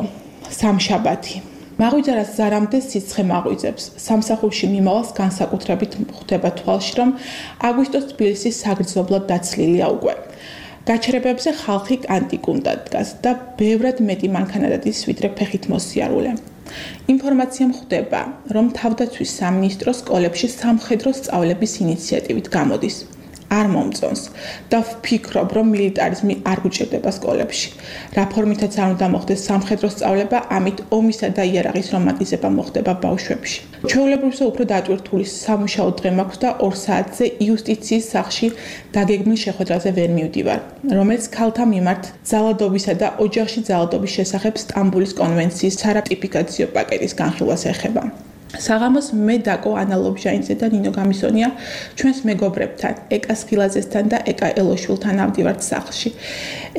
სამშაბათი. მაღვიძარას ზარამდე სიცხე მაღვიძებს. სამსახურში მიმავალს განსაკუთრებით ხვდება თვალში, რომ აგვისტოს თბილისის საგრძნობლად დაცლილია უკვე. გაჩერებებზე ხალხი კანტიკუნდად დგას და ბევრად მეტი მანქანადადის ვიდრე ფეხით მოსიარულე. ინფორმაცია ხვდება, რომ თავდაცვის სამინისტრო სკოლებში სამხედრო სწავლების ინიციატივით გამოდის. არ მომწონს და ვფიქრობ, რომ მილიტარიზმი არ გუჭირდება სკოლებში. რა ფორმითაც არ უნდა მოხდეს სამხედრო სწავლება, ამით ომისა და იარაღის რომანტიზება მოხდება ბავშვებში. ჩვეულებრივზე უფრო დატვირთული სამუშაო დღე მაქვს და 2 საათზე იუსტიციის სახლში დაგეგმილ შეხვედრაზე ვერ მივდივარ, რომელიც ქალთა მიმართ ძალადობისა და ოჯახში ძალადობის შესახებ სტამბულის კონვენციის სარატიფიკაციო პაკეტის განხილვას ეხება. საღამოს მე დაკო ანა ლობჟაინიძე და ნინო გამისონია ჩვენს მეგობრებთან, ეკა სხილაძესთან და ეკა ელოშვილთან ავდივართ სახლში.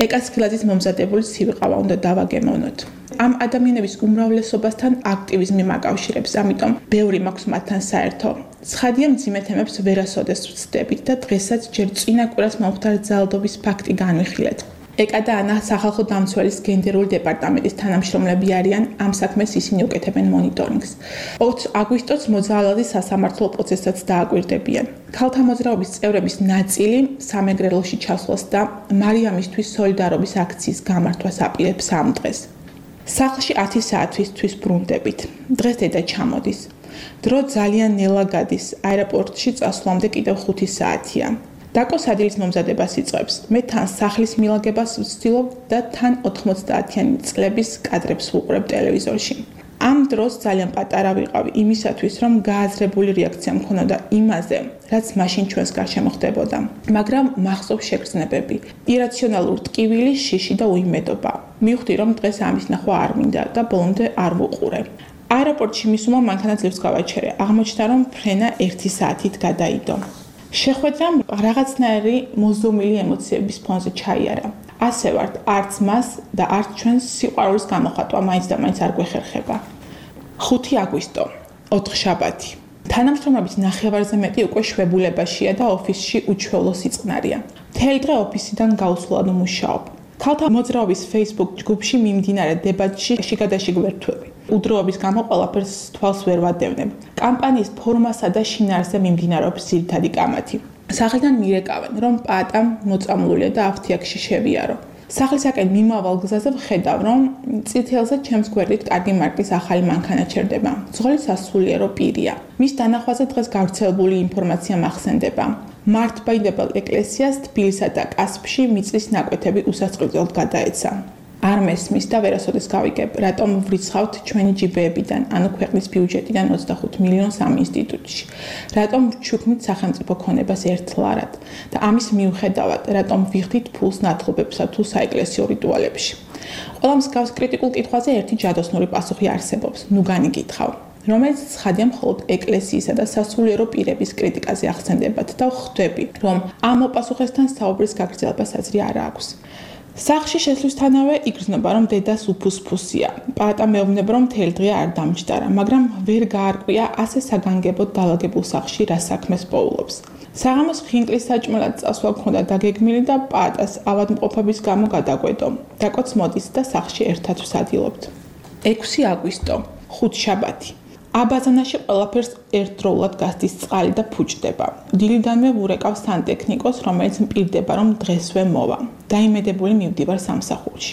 ეკა სხილაძის მომზადებული ცივი ყავა უნდა დავაგემოვნოთ. ამ ადამიანების უმრავლესობასთან აქტივიზმი მაკავშირებს, ამიტომ ბევრი მაქვს მათთან საერთო. ცხადია მძიმე თემებს ვერასოდეს ვცდებით და დღესაც ჯერ წინა კვირას მომხდარ ძალადობის ფაქტი განვიხილეთ. ეკა და ანა სახალხო დამცველის გენდერული დეპარტამენტის თანამშრომლები არიან, ამ საქმეს ისინი უკეთებენ მონიტორინგს. 20 აგვისტოს მოძრაობის სასამართლო პროცესსაც დააკვირდებიან. ქალთა მოძრაობის წევრების ნაწილი სამეგრელოში ჩასვლას და მარიამისთვის სოლიდარობის აქციის გამართვას აპირებს ამ დღეს. სახლში 10 საათისთვის ბრუნდებით. დღეს დედა ჩამოდის. დრო ძალიან ნელა გადის, აეროპორტში წასვლამდე კიდევ 5 საათია. დაკო სადილის მომზადებას იწყებს. მე თან სახლის მილაგებას ვცდილობ და თან 90-იანი წლების კადრებს ვუყურებ ტელევიზორში. ამ დროს ძალიან პატარა ვიყავი იმისათვის, რომ გააზრებული რეაქცია მქონოდა იმაზე, რაც მაშინ ჩვენს გარშემო ხდებოდა. მაგრამ მახსოვს შეგრძნებები, ირაციონალური ტკივილი, შიში და უიმედობა. მივხვდი, რომ დღეს ამის ნახვა არ მინდა და ბოლომდე არ ვუყურე. აეროპორტში მისულმა მანქანა ძლივს გავაჩერე. აღმოჩნდა, რომ ფრენა 1 საათით გადაიდო. შეხვედრამ რაღაცნაირი მოზომილი ემოციების ფონზე ჩაიარა. ასე ვართ, არც მას და არც ჩვენს სიყვარულის გამოხატვა მაინც და მაინც არ გვეხერხება. 5 აგვისტო, 4 შაბათი. თანამშრომლების ნახევარზე მეტი უკვე შვებულებაშია და ოფისში უჩვეულო სიწყნარია. მთელი დღე ოფისიდან გაუსვლად მუშაობ. ქალთა მოძრაობის Facebook ჯგუფში მიმდინარე დებატში შიგადაშიგ ვერთვები. უდროობის გამო ყველაფერს თვალს ვერ ვადევნებ. კამპანიის ფორმასა და შინაარსზე მიმდინარეობს ძირითადი კამათი. სახლიდან მირეკავენ, რომ პატა მოწამლულია და ავთიაქში შევიარო. სახლისაკენ მიმავალ გზაზე ვხედავ, რომ წითელზე ჩემს გვერდით კარგი მარკის ახალი მანქანა ჩერდება. ძღოლი სასულიერო პირია. მის დანახვაზე დღეს გავრცელებული ინფორმაცია მახსენდება. მართლმადიდებელ ეკლესიას თბილისსა და კასპში მიწის ნაკვეთები უსასყიდლოდ გადაეცა. არ მესმის და ვერასოდეს გავიგებ, რატომ ვრიცხავთ ჩვენი ჯიბეებიდან, ანუ ქვეყნის ბიუჯეტიდან 25 მილიონს ამ ინსტიტუტში. რატომ ვჩუქნით სახელმწიფო ქონებას ერთლარად და ამის მიუხედავად, რატომ ვიხდით ფულს ნათლობებსა თუ საეკლესიო რიტუალებში. ყველა მსგავს კრიტიკულ კითხვაზე ერთი ჯადოსნური პასუხი არსებობს. ნუ განიკითხავ. რომელიც ცხადია მხოლოდ ეკლესიისა და სასულიერო პირების კრიტიკაზე ახსენდებათ და ხვდები, რომ ამ მოპასუხესთან საუბრის გაგრძელებას აზრი არ აქვს. სახლში შესვლისთანავე იგრძნობა, რომ დედას უფუსფუსია. პატა მეუბნება, რომ მთელი დღე არ დამჯდარა, მაგრამ ვერ გაარკვია ასე საგანგებოდ დალაგებულ სახლში რა საქმეს პოულობს. საღამოს ხინკლის საჭმელად წასვლა მქონდა დაგეგმილი და პატას ავადმყოფობის გამო გადაგვედო. დაკოც მოდის და სახლში ერთად ვსადილობთ. 6 აგვისტო, 5 შაბათი. აბაზანაში ყველაფერს ერთდროულად გასდის წყალი და ფუჭდება. დილიდანვე ვურეკავ სანტექნიკოს, რომელიც მპირდება, რომ დღესვე მოვა. დაიმედებული მივდივარ სამსახურში.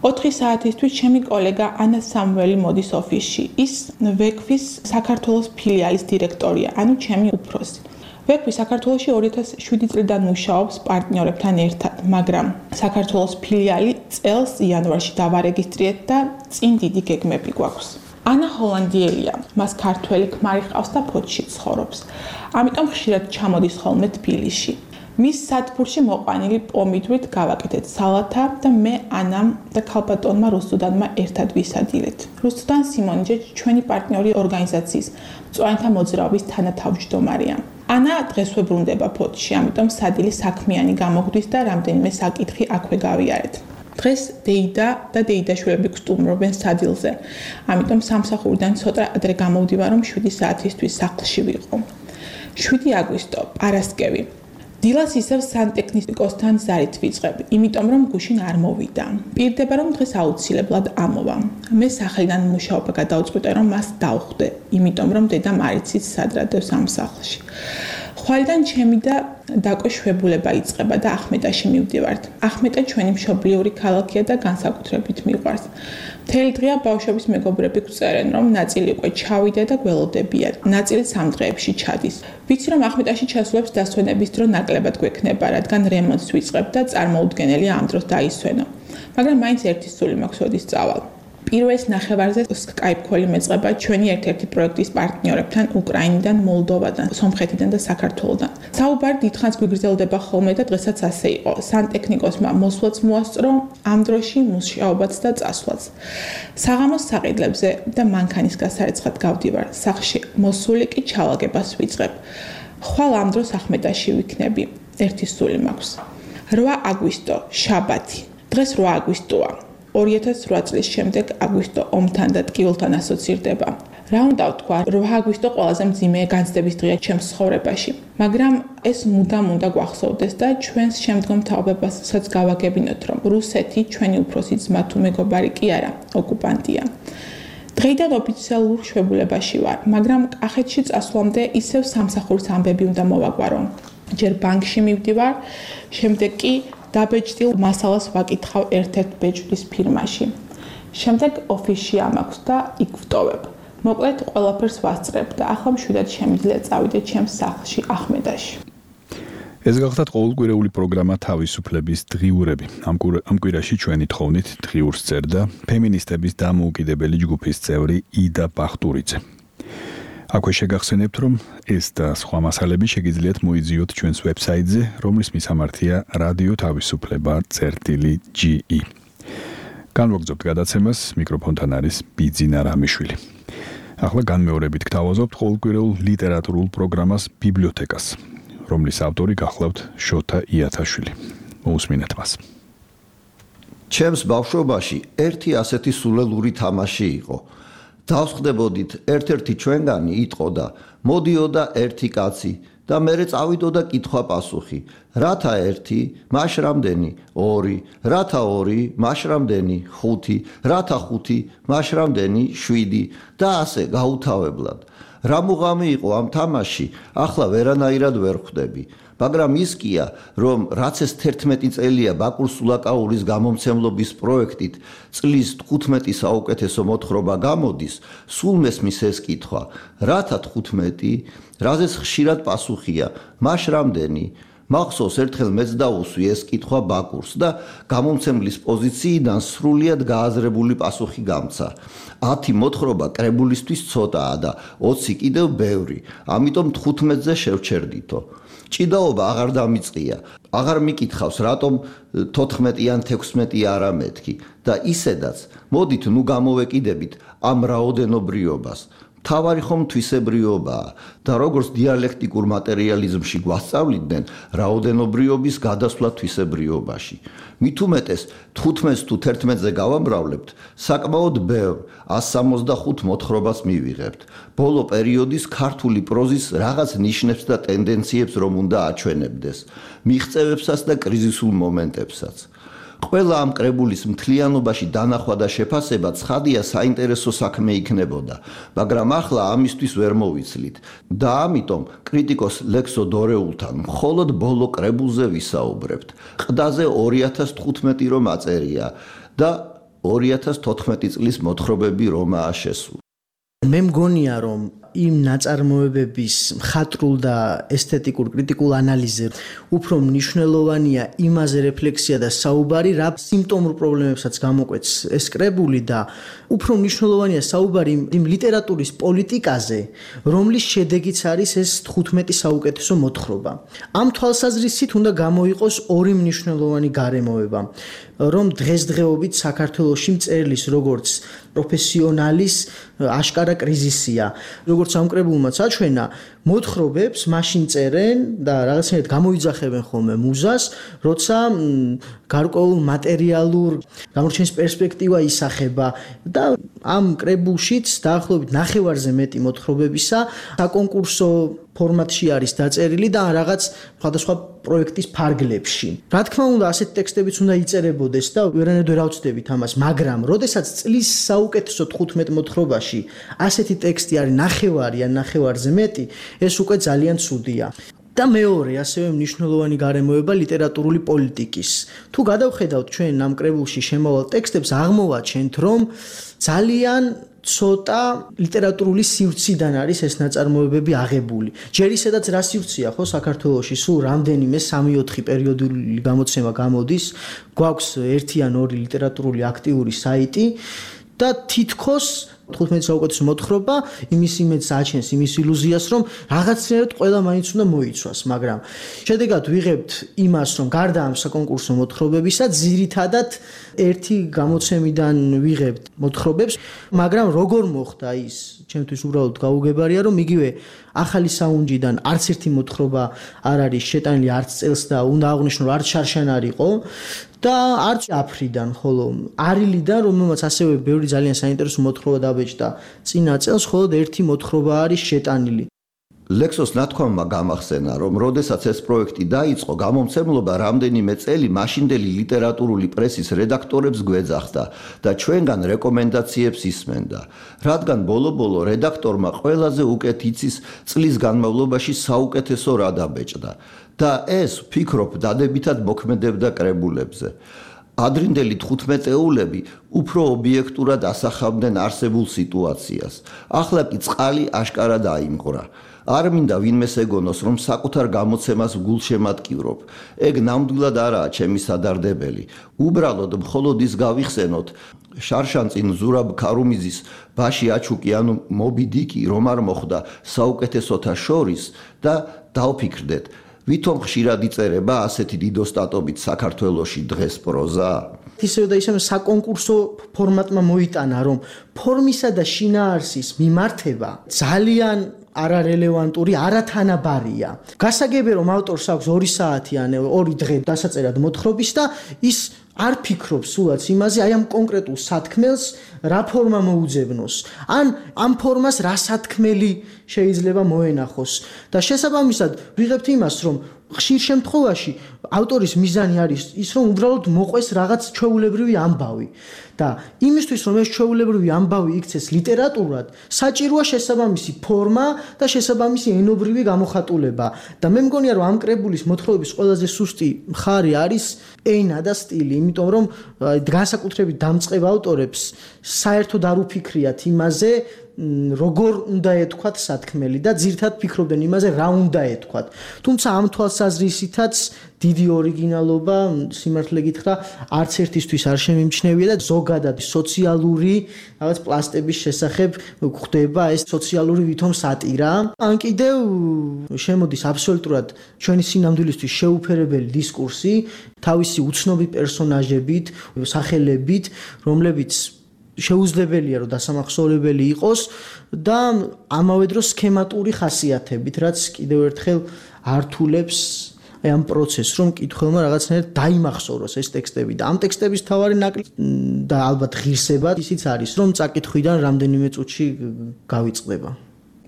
4 საათისთვის ჩემი კოლეგა ანა სამველი მოდის ოფისში. ის ვექვის საქართველოს ფილიალის დირექტორია, ანუ ჩემი უფროსი. ვექვი საქართველოში 2007 წლიდან მუშაობს პარტნიორებთან ერთად, მაგრამ საქართველოს ფილიალი წელს იანვარში დავარეგისტრირეთ და წინ დიდი გეგმები გვაქვს. ანა ჰოლანდიელია, მას ქართველი ქმარი ჰყავს და ფოთში ცხოვრობს. ამიტომ ხშირად ჩამოდის ხოლმე თბილისში. მის სათბურში მოყვანილი პომიდვრით გავაკეთეთ სალათა და მე ანამ და ქალბატონმა რუსუდანმა ერთად ვისადილეთ. რუსუდან სიმონიძე ჩვენი პარტნიორი ორგანიზაციის მწვანეთა მოძრაობის თანათავმჯდომარეა. ანა დღესვე ბრუნდება ფოთში, ამიტომ სადილი საქმიანი გამოგვდის და რამდენიმე საკითხი აქვე გავიარეთ. დღეს დეიდა და დეიდაშვილები გსტუმრობენ სადილზე. ამიტომ სამსახურიდან ცოტა ადრე გამოვდივარ, რომ 7 საათისთვის სახლში ვიყო. 7 აგვისტო, პარასკევი. დილას ისევ სანტექნიკოსთან ზარით ვიწყებ, იმიტომ რომ გუშინ არ მოვიდა. პირდება, რომ დღეს აუცილებლად ამოვა. მე სახლიდან მუშაობა გადავწყვიტე, რომ მას დავხვდე, იმიტომ რომ დედამ არ იცის სად რადევს ამ სახლში. ხვალიდან ჩემი და დაკო შვებულება იწყება და ახმეტაში მივდივართ. ახმეტა ჩვენი მშობლიური ქალაქია და განსაკუთრებით მიყვარს. მთელი დღეა ბავშვების მეგობრები გვწერენ, რომ ნაწილი უკვე ჩავიდა და გველოდებიან. ნაწილი სამ დღეებში ჩადის. ვიცი, რომ ახმეტაში ჩასვლებს დასვენების დრო ნაკლებად გვექნება, რადგან რემონტს ვიწყებ და წარმოუდგენელია ამ დროს დაისვენო. მაგრამ მაინც ერთი სული მაქვს, როდის წავალ. პირველ ნახევარზე Skype call-ი მეწყება ჩვენი ერთ-ერთი პროექტის პარტნიორებთან უკრაინიდან, მოლდოვადან, სომხეთიდან და საქართველოდან. საუბარი დიდხანს გვიგრძელდება ხოლმე და დღესაც ასე იყო. სანტექნიკოსმა მოსვლაც მოასწრო, ამ დროში მუშაობაც და წასვლაც. საღამოს საყიდლებზე და მანქანის გასარეცხად გავდივარ. სახლში მოსული კი ჩალაგებას ვიწყებ. ხვალ ამ დროს ახმეტაში ვიქნები. ერთი სული მაქვს. 8 აგვისტო, შაბათი. დღეს 8 აგვისტოა. 2008 წლის შემდეგ აგვისტო ომთან და ტკივილთან ასოცირდება. რა უნდა ვთქვა, 8 აგვისტო ყველაზე მძიმე განცდების დღეა ჩემს ცხოვრებაში, მაგრამ ეს მუდამ უნდა გვახსოვდეს და ჩვენს შემდგომ თაობებასაც გავაგებინოთ, რომ რუსეთი ჩვენი უფროსი ძმა თუ მეგობარი კი არა, ოკუპანტია. დღეიდან ოფიციალურ შვებულებაში ვარ, მაგრამ კახეთში წასვლამდე ისევ სამსახურის ამბები უნდა მოვაგვარო. ჯერ ბანკში მივდივარ, შემდეგ კი დაბეჭდილ მასალას ვაკითხავ ერთ-ერთ ბეჭდის ფირმაში. შემდეგ ოფისში ამაქვს და იქ ვტოვებ. მოკლედ ყველაფერს ვასწრებ და ახლა მშვიდად შემიძლია წავიდე ჩემს სახლში ახმედაში. ეს გახლავთ ყოველკვირეული პროგრამა თავისუფლების დღიურები. ამ კვირაში ჩვენი თხოვნით დღიურს წერდა ფემინისტების დამოუკიდებელი ჯგუფის წევრი იდა ბახტურიძე. აქვე შეგახსენებთ, რომ ეს და სხვა მასალები შეგიძლიათ მოიძიოთ ჩვენს ვებსაიტზე, რომლის მისამართია რადიო თავისუფლება.ge. განვაგრძობთ გადაცემას, მიკროფონთან არის ბიძინა რამიშვილი. ახლა განმეორებით გთავაზობთ ყოველკვირეულ ლიტერატურულ პროგრამას ბიბლიოთეკას, რომლის ავტორი გახლავთ შოთა იათაშვილი. მოусმინეთ მას. ჩემს ბავშვობაში ერთი ასეთი სულელური თამაში იყო. დავსხდებოდით ერთ-ერთი ჩვენგანი იტყოდა, მოდიოდა ერთი კაცი და მერე წავიდოდა კითხვა-პასუხი. რათა ერთი, მაშ რამდენი? 2, რათა 2, მაშ რამდენი? 5, რათა 5, მაშ რამდენი? 7 და ასე გაუთავებლად. რა მუღამი იყო ამ თამაში, ახლა ვერანაირად ვერ ხვდები. მაგრამ ის კია, რომ რაც ეს 11 წელია ბაკურ სულაკაურის გამომცემლობის პროექტით წლის 15 საუკეთესო მოთხრობა გამოდის, სულ მესმის ეს კითხვა, რათა 15, რაზეც ხშირად პასუხია, მაშ რამდენი? მახსოვს ერთხელ მეც დაუსვი ეს კითხვა ბაკურს და გამომცემლის პოზიციიდან სრულიად გააზრებული პასუხი გამცა. 10 მოთხრობა კრებულისთვის ცოტაა და 20 კიდევ ბევრი, ამიტომ 15-ზე შევჩერდითო. ჭიდაობა აღარ დამიწყია, აღარ მიკითხავს რატომ 14 ან 16 არა მეთქი და ისედაც მოდით ნუ გამოვეკიდებით ამ რაოდენობრიობას. თავარი ხომ თვისებრიობაა და როგორც დიალექტიკურ მატერიალიზმში გვასწავლიდნენ რაოდენობრიობის გადასვლა თვისებრიობაში. მით უმეტეს 15 თუ 11-ზე გავამრავლებთ, საკმაოდ ბევრ 165 მოთხრობას მივიღებთ. ბოლო პერიოდის ქართული პროზის რაღაც ნიშნებს და ტენდენციებს რომ უნდა აჩვენებდეს, მიღწევებსაც და კრიზისულ მომენტებსაც. ყველა ამ კრებულის მთლიანობაში დანახვა და შეფასება ცხადია საინტერესო საქმე იქნებოდა, მაგრამ ახლა ამისთვის ვერ მოვიცლით და ამიტომ კრიტიკოს ლექსო დორეულთან მხოლოდ ბოლო კრებულზე ვისაუბრებთ. ყდაზე 2015 რომ აწერია და 2014 წლის მოთხრობები რომაა შესული. მე მგონია რომ იმ ნაწარმოებების მხატვრულ და ესთეტიკურ კრიტიკულ ანალიზზე უფრო მნიშვნელოვანია იმაზე რეფლექსია და საუბარი, რა სიმპტომურ პრობლემებსაც გამოკვეთს ეს კრებული და უფრო მნიშვნელოვანია საუბარი იმ ლიტერატურის პოლიტიკაზე, რომლის შედეგიც არის ეს 15 საუკეთესო მოთხრობა. ამ თვალსაზრისით უნდა გამოიყოს ორი მნიშვნელოვანი გარემოება, რომ დღესდღეობით საქართველოში მწერლის როგორც პროფესიონალის აშკარა კრიზისია. როგორც ამ კრებულმაც აჩვენა, მოთხრობებს მაშინ წერენ და რაღაცნაირად გამოიძახებენ ხოლმე მუზას, როცა გარკვეულ მატერიალურ გამორჩენის პერსპექტივა ისახება და ამ კრებულშიც დაახლოებით ნახევარზე მეტი მოთხრობებისა საკონკურსო ფორმატში არის დაწერილი და რაღაც სხვადასხვა პროექტის ფარგლებში. რა თქმა უნდა, ასეთი ტექსტებიც უნდა იწერებოდეს და ვერანაირად ვერ ავწდებით ამას, მაგრამ როდესაც წლის საუკეთესო 15 მოთხრობაში ასეთი ტექსტი არის ნახევარი ან ნახევარზე მეტი, ეს უკვე ძალიან ცუდია. და მეორე ასევე მნიშვნელოვანი გარემოება ლიტერატურული პოლიტიკის. თუ გადავხედავთ ჩვენ ამ კრებულში შემავალ ტექსტებს, აღმოვაჩენთ, რომ ძალიან ცოტა ლიტერატურული სივრციდან არის ეს ნაწარმოებები აღებული. ჯერ ისედაც რა სივრცეა ხო საქართველოში, სულ რამდენიმე 3-4 პერიოდული გამოცემა გამოდის, გვაქვს 1 ან 2 ლიტერატურული აქტიური საიტი და თითქოს 15 საუკუნის მოთხრობა იმის იმედს აჩენს, იმის ილუზიას, რომ რაღაცნაირად ყველა მაინც უნდა მოიცვას, მაგრამ შედეგად ვიღებთ იმას, რომ გარდა ამ საკონკურსო მოთხრობებისა, ძირითადად ერთი გამოცემიდან ვიღებთ მოთხრობებს, მაგრამ როგორ მოხდა ის, ჩემთვის უბრალოდ გაუგებარია, რომ იგივე ახალი საუნჯიდან არც ერთი მოთხრობა არ არის შეტანილი არც წელს და უნდა აღვნიშნო, რომ არც შარშან არ იყო. და არც აფრიდან, ხოლო არილიდან, რომელმაც ასევე ბევრი ძალიან საინტერესო მოთხრობა დაბეჭდა წინა წელს, მხოლოდ ერთი მოთხრობა არის შეტანილი. ლექსოს ნათქვამმა გამახსენა, რომ როდესაც ეს პროექტი დაიწყო, გამომცემლობა რამდენიმე წელი მაშინდელი ლიტერატურული პრესის რედაქტორებს გვეძახდა და ჩვენგან რეკომენდაციებს ისმენდა, რადგან ბოლო-ბოლო რედაქტორმა ყველაზე უკეთ იცის წლის განმავლობაში საუკეთესო რა დაბეჭდა. და ეს, ვფიქრობ, დადებითად მოქმედებდა კრებულებზე. ადრინდელი 15-ეულები უფრო ობიექტურად ასახავდნენ არსებულ სიტუაციას. ახლა კი წყალი აშკარად აიმღვრა. არ მინდა ვინმეს ეგონოს, რომ საკუთარ გამოცემას გულშემატკივრობ. ეგ ნამდვილად არაა ჩემი სადარდებელი. უბრალოდ მხოლოდ ის გავიხსენოთ, შარშანწინ ზურაბ ქარუმიძის ბაში აჩუკი ანუ მობი დიკი რომ არ მოხდა საუკეთესოთა შორის და დავფიქრდეთ, ვითომ ხშირად იწერება ასეთი დიდოსტატობით საქართველოში დღეს პროზა? ისევ და ისევ საკონკურსო ფორმატმა მოიტანა, რომ ფორმისა და შინაარსის მიმართება ძალიან არარელევანტური, არათანაბარია. გასაგებია, რომ ავტორს აქვს 2 საათი ან 2 დღე დასაწერად მოთხრობის და ის არ ფიქრობს სულაც იმაზე, აი ამ კონკრეტულ სათქმელს რა ფორმა მოუძებნოს, ან ამ ფორმას რა სათქმელი შეიძლება მოენახოს. და შესაბამისად ვიღებთ იმას, რომ ხშირ შემთხვევაში ავტორის მიზანი არის ის, რომ უბრალოდ მოყვეს რაღაც ჩვეულებრივი ამბავი. და იმისთვის, რომ ეს ჩვეულებრივი ამბავი იქცეს ლიტერატურად, საჭიროა შესაბამისი ფორმა და შესაბამისი ენობრივი გამოხატულება. და მე მგონია, რომ ამ კრებულის მოთხრობების ყველაზე სუსტი მხარე არის ენა და სტილი, იმიტომ რომ განსაკუთრებით დამწყებ ავტორებს საერთოდ არ უფიქრიათ იმაზე, როგორ უნდა ეთქვათ სათქმელი და ძირთად ფიქრობდნენ იმაზე, რა უნდა ეთქვათ. თუმცა ამ თვალსაზრისითაც დიდი ორიგინალობა, სიმართლე გითხრა, არც ერთისთვის არ შემიმჩნევია და ზოგადად სოციალური რაღაც პლასტების შესახებ გვხდება ეს სოციალური ვითომ სატირა. ან კიდევ შემოდის აბსოლუტურად ჩვენი სინამდვილისთვის შეუფერებელი დისკურსი თავისი უცნობი პერსონაჟებით, სახელებით, რომლებიც შეუძლებელია რომ დასამახსოვრებელი იყოს და ამავე დროს სქემატური ხასიათებით, რაც კიდევ ერთხელ ართულებს ამ პროცესს, რომ კითხველმა რაღაცნაირად დაიმახსოვროს ეს ტექსტები და ამ ტექსტების თავარი ნაკლი და ალბათ ღირსება ისიც არის, რომ წაკითხვიდან რამდენიმე წუთში გავიწყდება.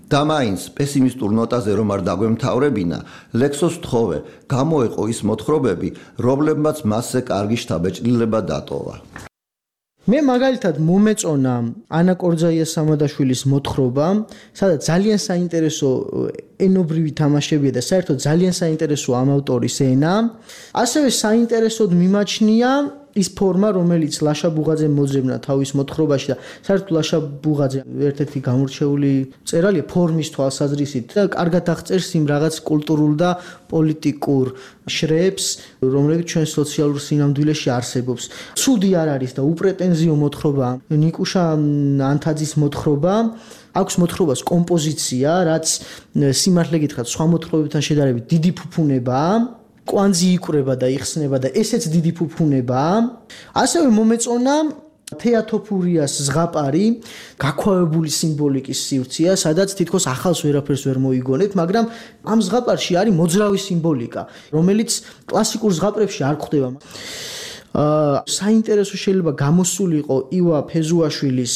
და მაინც პესიმისტურ ნოტაზე რომ არ დაგვემთავრებინა, ლექსოს თხოვე გამოეყო ის მოთხრობები, რომლებმაც მასზე კარგი შთაბეჭდილება დატოვა. მე მაგალითად მომეწონა ანა კორძაიას სამადაშვილის მოთხრობა, სადაც ძალიან საინტერესო ენობრივი თამაშებია და საერთოდ ძალიან საინტერესო ამ ავტორის ენა. ასევე საინტერესოდ მიმაჩნია ის ფორმა, რომელიც ლაშა ბუღაძემ მოძებნა თავის მოთხრობაში და საერთოდ ლაშა ბუღაძე ერთ-ერთი გამორჩეული მწერალია ფორმის თვალსაზრისით და კარგად აღწერს იმ რაღაც კულტურულ და პოლიტიკურ შრეებს, რომლებიც ჩვენ სოციალურ სინამდვილეში არსებობს. ცუდი არ არის და უპრეტენზიო მოთხრობა ნიკუშა ანთაძის მოთხრობა. აქვს მოთხრობას კომპოზიცია, რაც სიმართლე გითხრათ, სხვა მოთხრობებთან შედარებით დიდი ფუფუნებაა. კვანძი იკვრება და იხსნება და ესეც დიდი ფუფუნებაა. ასევე მომეწონა თეატოფურიას ზღაპარი, გაქვავებული სიმბოლიკის სივრცეა, სადაც თითქოს ახალს ვერაფერს ვერ მოიგონებთ, მაგრამ ამ ზღაპარში არის მოძრავი სიმბოლიკა, რომელიც კლასიკურ ზღაპრებში არ გვხვდება. საინტერესო შეიძლება გამოსულიყო ივა ფეზუაშვილის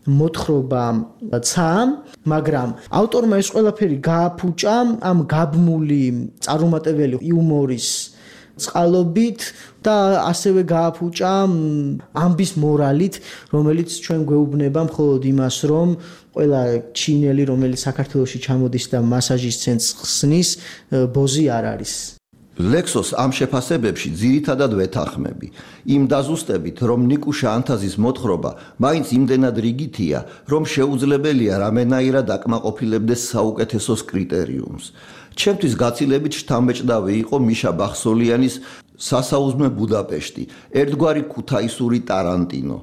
მოთხრობა ცა, მაგრამ ავტორმა ეს ყველაფერი გააფუჭა ამ გაბმული წარუმატებელი იუმორის წყალობით და ასევე გააფუჭა ამბის მორალით, რომელიც ჩვენ გვეუბნება მხოლოდ იმას, რომ ყველა ჩინელი, რომელიც საქართველოში ჩამოდის და მასაჟის ცენტრს ხსნის, ბოზი არ არის. ლექსოს ამ შეფასებებში ძირითადად ვეთანხმები. იმ დაზუსტებით, რომ ნიკუშა ანთაზის მოთხრობა მაინც იმდენად რიგითია, რომ შეუძლებელია რამენაირად აკმაყოფილებდეს საუკეთესოს კრიტერიუმს. ჩემთვის გაცილებით შთამბეჭდავი იყო მიშა ბახსოლიანის სასაუზმე ბუდაპეშტი, ერთგვარი ქუთაისური ტარანტინო.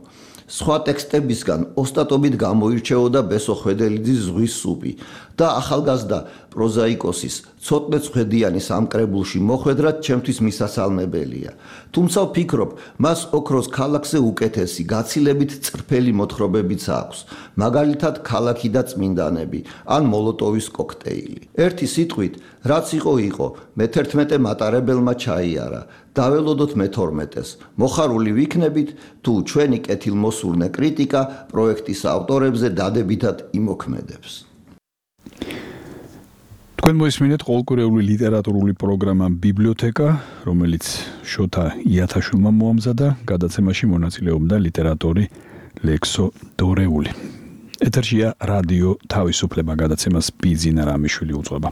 სხვა ტექსტებისგან ოსტატობით გამოირჩეოდა ბესო ხვედელიძის ზღვის სუპი და ახალგაზრდა პროზაიკოსის ცოტნე ცხვედიანის ამ კრებულში მოხვედრად ჩემთვის მისასალმებელია. თუმცა ვფიქრობ, მას ოქროს ქალაქზე უკეთესი, გაცილებით წრფელი მოთხრობებიც აქვს, მაგალითად ქალაქი და წმინდანები ან მოლოტოვის კოქტეილი. ერთი სიტყვით, რაც იყო, მე-11 მატარებელმა ჩაიარა. დაველოდოთ მე-12-ს. მოხარული ვიქნებით, თუ ჩვენი კეთილმოსურნე კრიტიკა პროექტის ავტორებზე დადებითად იმოქმედებს. თქვენ მოისმინეთ ყოველკვირეული ლიტერატურული პროგრამა ბიბლიოთეკა, რომელიც შოთა იათაშვილმა მოამზადა, გადაცემაში მონაწილეობდა ლიტერატორი ლექსო დორეული. ეთერშია რადიო თავისუფლება, გადაცემას ბიძინა რამიშვილი უძღვება.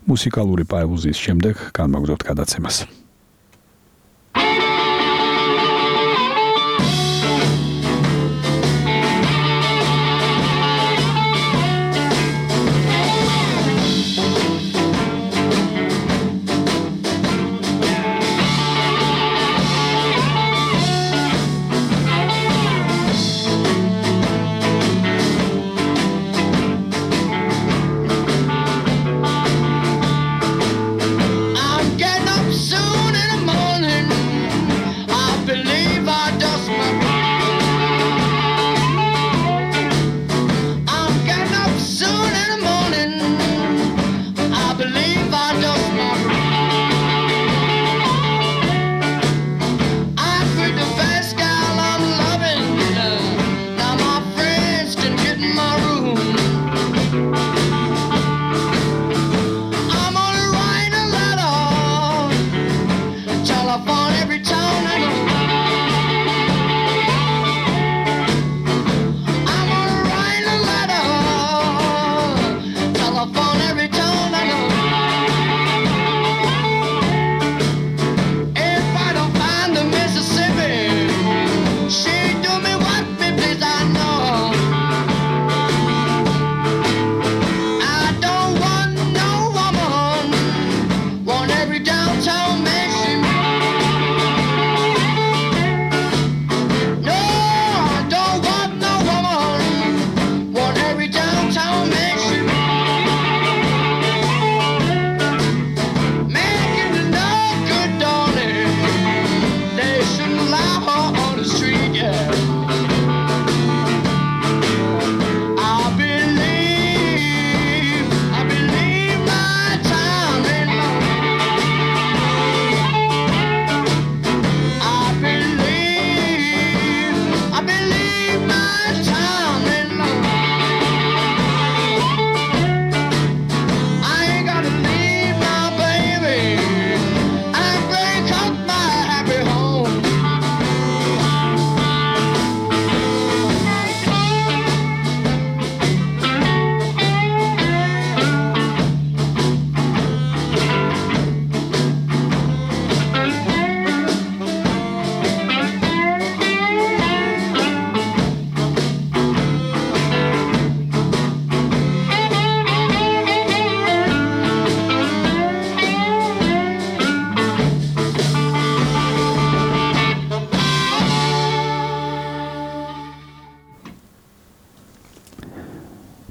მუსიკალური პაუზის შემდეგ განმაგზავნებთ გადაცემას.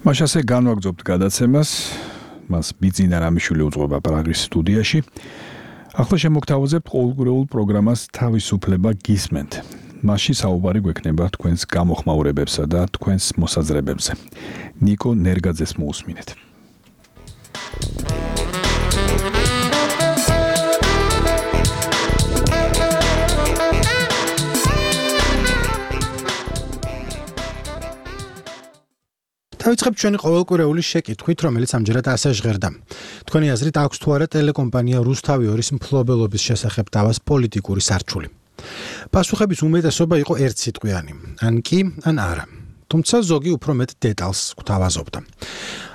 მაშასე განვაგრძობთ გადაცემას, მას ბიძინა რამიშვილი უძღვება პრაღის სტუდიაში. ახლა შემოგთავაზებთ ყოველკვირეულ პროგრამას თავისუფლება გისმენთ. მასში საუბარი გვექნება თქვენს გამოხმაურებებსა და თქვენს მოსაზრებებზე. ნიკო ნერგაძეს მოусმინეთ. დავიწყებთ ჩვენი ყოველკვირეული შეკითხვით, რომელიც ამჯერად ასე ჟღერდა. თქვენი აზრით აქვს თუ არა ტელეკომპანია რუსთავი 2-ის მფლობელობის შესახებ დავას პოლიტიკური სარჩული? პასუხების უმეტესობა იყო ერთსიტყვიანი, ან კი, ან არა. თუმცა ზოგი უფრო მეტ დეტალს გვთავაზობდა.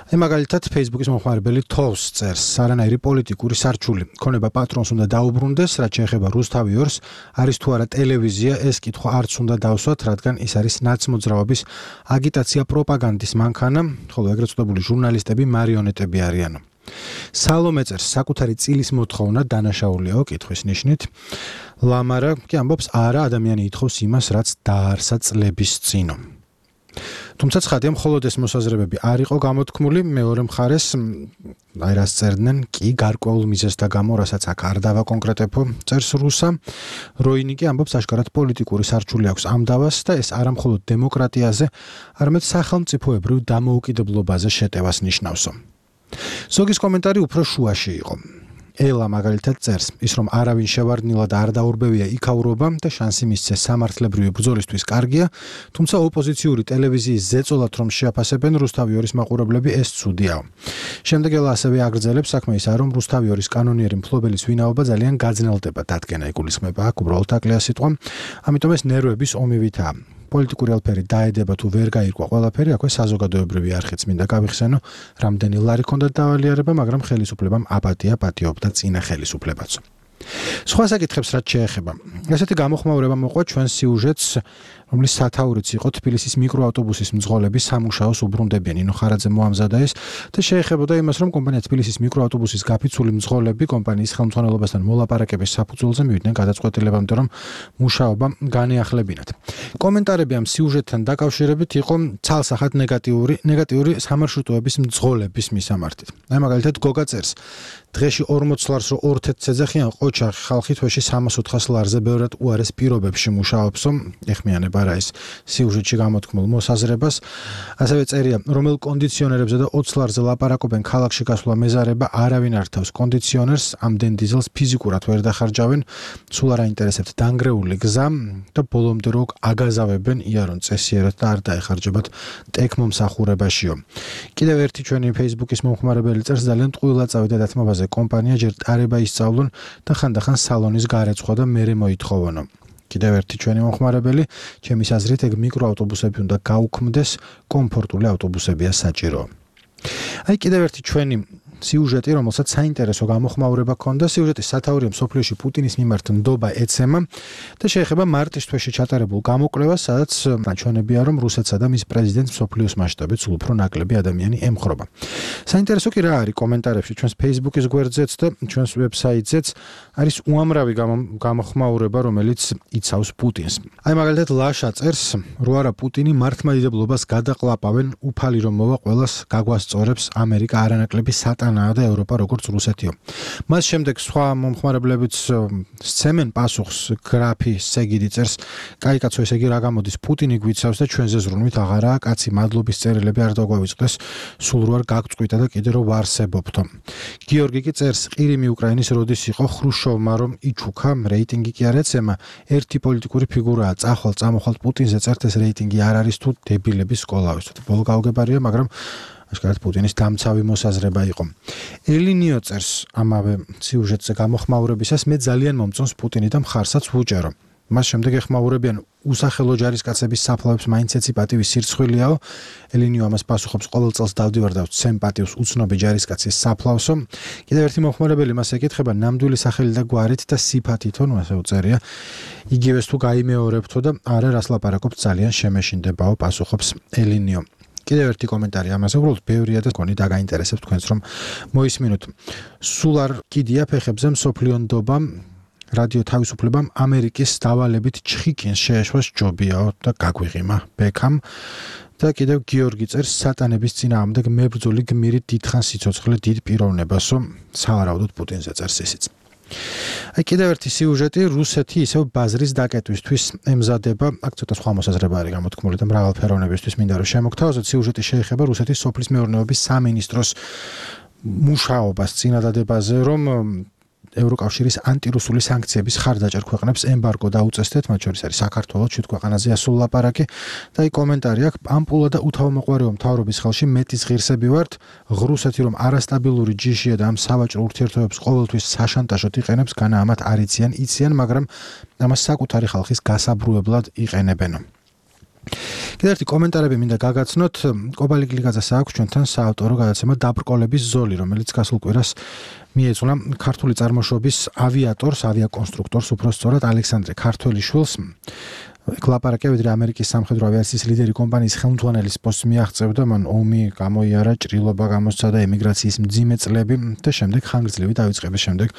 მაგალითად, Facebook-ის მომხმარებელი თოვს წერს, არანაირი პოლიტიკური სარჩული. ქონება პატრონს უნდა დაუბრუნდეს, რაც შეეხება რუსთავი 2-ს, არის თუ არა ტელევიზია, ეს კითხვა არც უნდა დავსვათ, რადგან ის არის ნაცმოძრაობის აგიტაცია პროპაგანდის მანქანა, ხოლო ეგრეთ წოდებული ჟურნალისტები მარიონეტები არიან. სალომე წერს, საკუთარი წილის მოთხოვნა დანაშაულიაო კითხვის ნიშნით. ლამარა კი ამბობს, არა, ადამიანი ითხოვს იმას, რაც დაარსა წლების წინო. თუმცა ცხადია, მხოლოდ ეს მოსაზრებები არ იყო გამოთქმული, მეორე მხარეს აი რას წერდნენ, კი გარკვეულ მიზეზთა გამო, რასაც აქ არ დავაკონკრეტებ, წერს რუსა. როინი კი ამბობს, აშკარად პოლიტიკური სარჩული აქვს ამ დავას და ეს არა მხოლოდ დემოკრატიაზე, არამედ სახელმწიფოებრივ დამოუკიდებლობაზე შეტევას ნიშნავსო. ზოგის კომენტარი უფრო შუაში იყო. ელა მაგალითად წერს, ის რომ არავინ შევარდნილად არ დაურბევია იქაურობა და შანსი მისცეს სამართლებრივი ბრძოლისთვის კარგია, თუმცა ოპოზიციური ტელევიზიის ზეწოლად რომ შეაფასებენ რუსთავი 2-ის მაყურებლები, ეს ცუდიაო. შემდეგ ელა ასევე აგრძელებს, საქმე ისაა, რომ რუსთავი 2-ის კანონიერი მფლობელის ვინაობა ძალიან გაძნელდება, დადგენა იგულისხმება, აქ უბრალოდ აკლია სიტყვა, ამიტომ ეს ნერვების ომივითაა. პოლიტიკური ალფერი დაედება თუ ვერ გაირკვა ყველაფერი, აქვე საზოგადოებრივი არხიც მინდა გავიხსენო, რამდენი ლარი ჰქონდა დავალიერება, მაგრამ ხელისუფლებამ აპატია პატიობდა წინა ხელისუფლებაც. სხვა საკითხებს რაც შეეხება. ესეთი გამოხმაურება მოყვა ჩვენ სიუჟეტს, რომლის სათაურიც იყო თბილისის მიკროავტობუსის მძღოლები სამუშაოს უბრუნდებიან. ინო ხარაძე მოამზადა ეს და შეეხებოდა იმას, რომ კომპანია თბილისის მიკროავტობუსის გაფიცული მძღოლები კომპანიის ხელმძღვანელობასთან მოლაპარაკების საფუძველზე მივიდნენ გადაწყვეტილებამდე, რომ მუშაობა განეახლებინათ. კომენტარები ამ სიუჟეტთან დაკავშირებით იყო ცალსახად ნეგატიური სამარშრუტოების მძღოლების მისამართით. აი მაგალითად გოგა წერს, დღეში 40 ლარს რო 2 თეთრ-ძეძახიან ყოჩახი ხალხი თვეში 300-400 ლარზე ბევრად უარეს პირობებში მუშაობსო, ეხმიანება რა ის სიუჟეტში გამოთქმულ მოსაზრებას. ასევე წერია, რომელ კონდიციონერებზე და 20 ლარზე ლაპარაკობენ ქალაქში გასვლა მეზარება, არავინ არ თავს კონდიციონერს, ამდენ დიზელს ფიზიკურად ვერ დახარჯავენ, სულ არ აინტერესებთ დანგრეული გზა და ბოლომდე რო აგაზავებენ იარონ წესიერად და არ დაეხარჯებათ ტექმომსახურებაშიო. კიდევ ერთი ჩვენი Facebook-ის მომხმარებელი წერს, ძალიან ტყუილად წავიდა დათმობაზე კომპანია, ჯერ ტარება ისწავლონ და ხანდახან სალონის გარეცხვა და მერე მოითხოვონო. კიდევ ერთი ჩვენი მომხმარებელი, ჩემის აზრით, ეგ მიკროავტობუსები უნდა გაუქმდეს, კომფორტული ავტობუსებია საჭირო. აი კიდევ ერთი ჩვენი სიუჟეტი, რომელსაც საინტერესო გამოხმაურება ჰქონდა, სიუჟეტის სათაურია მსოფლიოში პუტინის მიმართ ნდობა ეცემა და შეეხება მარტის თვეში ჩატარებულ გამოკვლევას, სადაც ნაჩვენებია, რომ რუსეთსა და მის პრეზიდენტს მსოფლიოს მასშტაბით სულ უფრო ნაკლები ადამიანი ემხრობა. საინტერესო კი რა არის კომენტარებში ჩვენს Facebook-ის გვერდზეც და ჩვენს ვებსაიტზეც არის უამრავი გამოხმაურება, რომელიც იცავს პუტინს. აი მაგალითად ლაშა წერს, რო არა პუტინი მართლმადიდებლობას გადაყლაპავენ, უფალი რომ მოვა ყველას გაგვასწორებს ამერიკა არანაკლები სატანაა და ევროპა როგორც რუსეთიო. მას შემდეგ სხვა მომხმარებლებიც სცემენ პასუხს, გრაფი სეგიდი წერს, კაი კაცო, ესე იგი რა გამოდის, პუტინი გვიცავს და ჩვენზე ზრუნვით აღარაა, კაცი მადლობის წერილები არ დაგვავიწყდეს, სულ რო არ გაგწყვიტა და კიდე რო ვარსებობთო. გიორგი კი წერს, ყირიმი უკრაინის როდის იყო ხრუშოვმა რომ იჩუქა, რეიტინგი კი არ ეცემა, ერთი პოლიტიკური ფიგურაა, წამოხვალ პუტინზე წერთ, ეს რეიტინგი არ არის თუ დებილების სკოლავის. ბოლო გაუგებარია, მაგრამ აშკარად პუტინის დამცავი მოსაზრება იყო. ელინიო წერს ამავე სიუჟეტზე გამოხმაურებისას, მე ძალიან მომწონს პუტინი და მხარსაც ვუჭერო. მას შემდეგ ეხმაურებიან უსახელო ჯარისკაცების საფლავებს მაინც ეცი პატივის სირცხვილიაო. ელინიო ამას პასუხობს, ყოველ წელს დავდივარ და ვცემ პატივს უცნობი ჯარისკაცის საფლავსო. კიდევ ერთი მომხმარებელი მას ეკითხება ნამდვილი სახელი და გვარით და სიფათითო, ნუ ასე უწერია. იგივეს თუ გაიმეორებთო და არა რას ლაპარაკობთ, ძალიან შემეშინდებაო, პასუხობს ელინიო. კიდევ ერთი კომენტარი ამაზე, უბრალოდ ბევრია და გონი დაგაინტერესებთ თქვენს რომ მოისმინოთ. სულ არ კიდია ფეხებზე მსოფლიო ნდობა რადიო თავისუფლებამ ამერიკის დავალებით ჩხიკინს შეეშვას ჯობიაო და გაგვიღიმა ბექამ. და კიდევ გიორგი წერს, სატანების წინააღმდეგ მებრძოლი გმირი დიდხან სიცოცხლე დიდ პიროვნებასო, სავარაუდოდ პუტინზე წერს ისიც. აი კიდევ ერთი სიუჟეტი, რუსეთი ისევ ბაზრის დაკეტვისთვის ემზადება, აქ ცოტა სხვა მოსაზრება არის გამოთქმული და მრავალფეროვნებისთვის მინდა რომ შემოგთავაზოთ. სიუჟეტი შეეხება რუსეთის სოფლის მეურნეობის სამინისტროს მუშაობას წინადადებაზე, რომ ევროკავშირის ანტირუსული სანქციების ხარდაჭერ ქვეყნებს ემბარგო დაუწესდეთ, მათ შორის არის საქართველო, ჩვით ქვეყანაზე ასულ ლაპარაკი და აი კომენტარი აქვს, ამპულა და უთავმოყვარეო მთავრობის ხელში მეტის ღირსები ვართ, რუსეთი რომ არასტაბილური ჯიშია და ამ სავაჭრო ურთიერთობებს ყოველთვის საშანტაჟოდ იყენებს, განა ამათ არ იციან, მაგრამ ამას საკუთარი ხალხის გასაბრუებლად იყენებენ. კიდევ ერთი კომენტარები მინდა გაგაცნოთ. კობალი გლიკაძეს აქვს ჩვენთან საავტორო გადაცემა დაბრკოლების ზოლი, რომელიც გასულ კვირას მიეძღვნა ქართული წარმოშობის ავიატორს, ავიაკონსტრუქტორს, უფრო სწორად ალექსანდრე ქართველიშვილს. ლაპარაკია ვიდრე ამერიკის სამხედრო ავიაციის ლიდერი კომპანიის ხელმძღვანელის პოსტს მიაღწევდა, მან ომი გამოიარა, ჭრილობა გამოსცადა, ემიგრაციის მძიმე წლები და შემდეგ ხანგრძლივი დაიწყების შემდეგ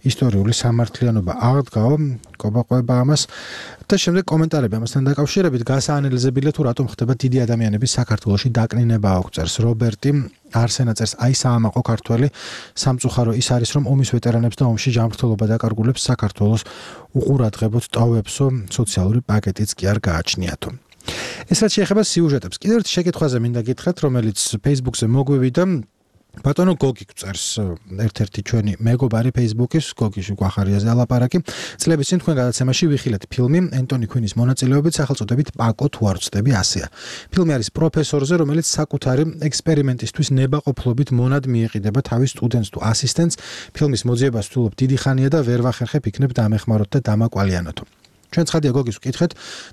ისტორიული სამართლიანობა აღდგაო, კობაყვება ამას და შემდეგ კომენტარები ამასთან დაკავშირებით გასაანალიზებელია თუ რატომ ხდება დიდი ადამიანების საქართველოში დაკნინება აქვს წერს რობერტი არსენა წერს აი საამაყო ქართველი სამწუხარო ის არის რომ ომის ვეტერანებს და ომში ჯანმრთელობა დაკარგულებს საქართველოს უყურადღებოდ ტოვებსო სოციალური პაკეტიც კი არ გააჩნიათო. ეს რაც შეეხება სიუჟეტებს კიდევ ერთი შეკითხვაზე მინდა გითხრათ რომელიც Facebook-ზე მოგვივიდა ბატონო გოგი წერს ერთ-ერთი ჩვენი მეგობარი Facebook-ის გოგიში გვახარიაზე ალაპარაკი წლების წინ თქვენ გადაცემაში ვიხილეთ ფილმი ენტონი ქუინის მონაწილეობით სახელწოდებით პაკო თუ არ ვწდები ასეა ფილმი არის პროფესორზე რომელიც საკუთარი ექსპერიმენტისთვის ნებაყოფლობით მონად მიეყიდება თავის სტუდენტს თუ ასისტენტს ფილმის მოძიებას ვთვლობ დიდი ხანია და ვერ ვახერხებ იქნებ დამეხმაროთ და დამაკვალიანოთო ჩვენ ცხადია გოგის ვკითხეთ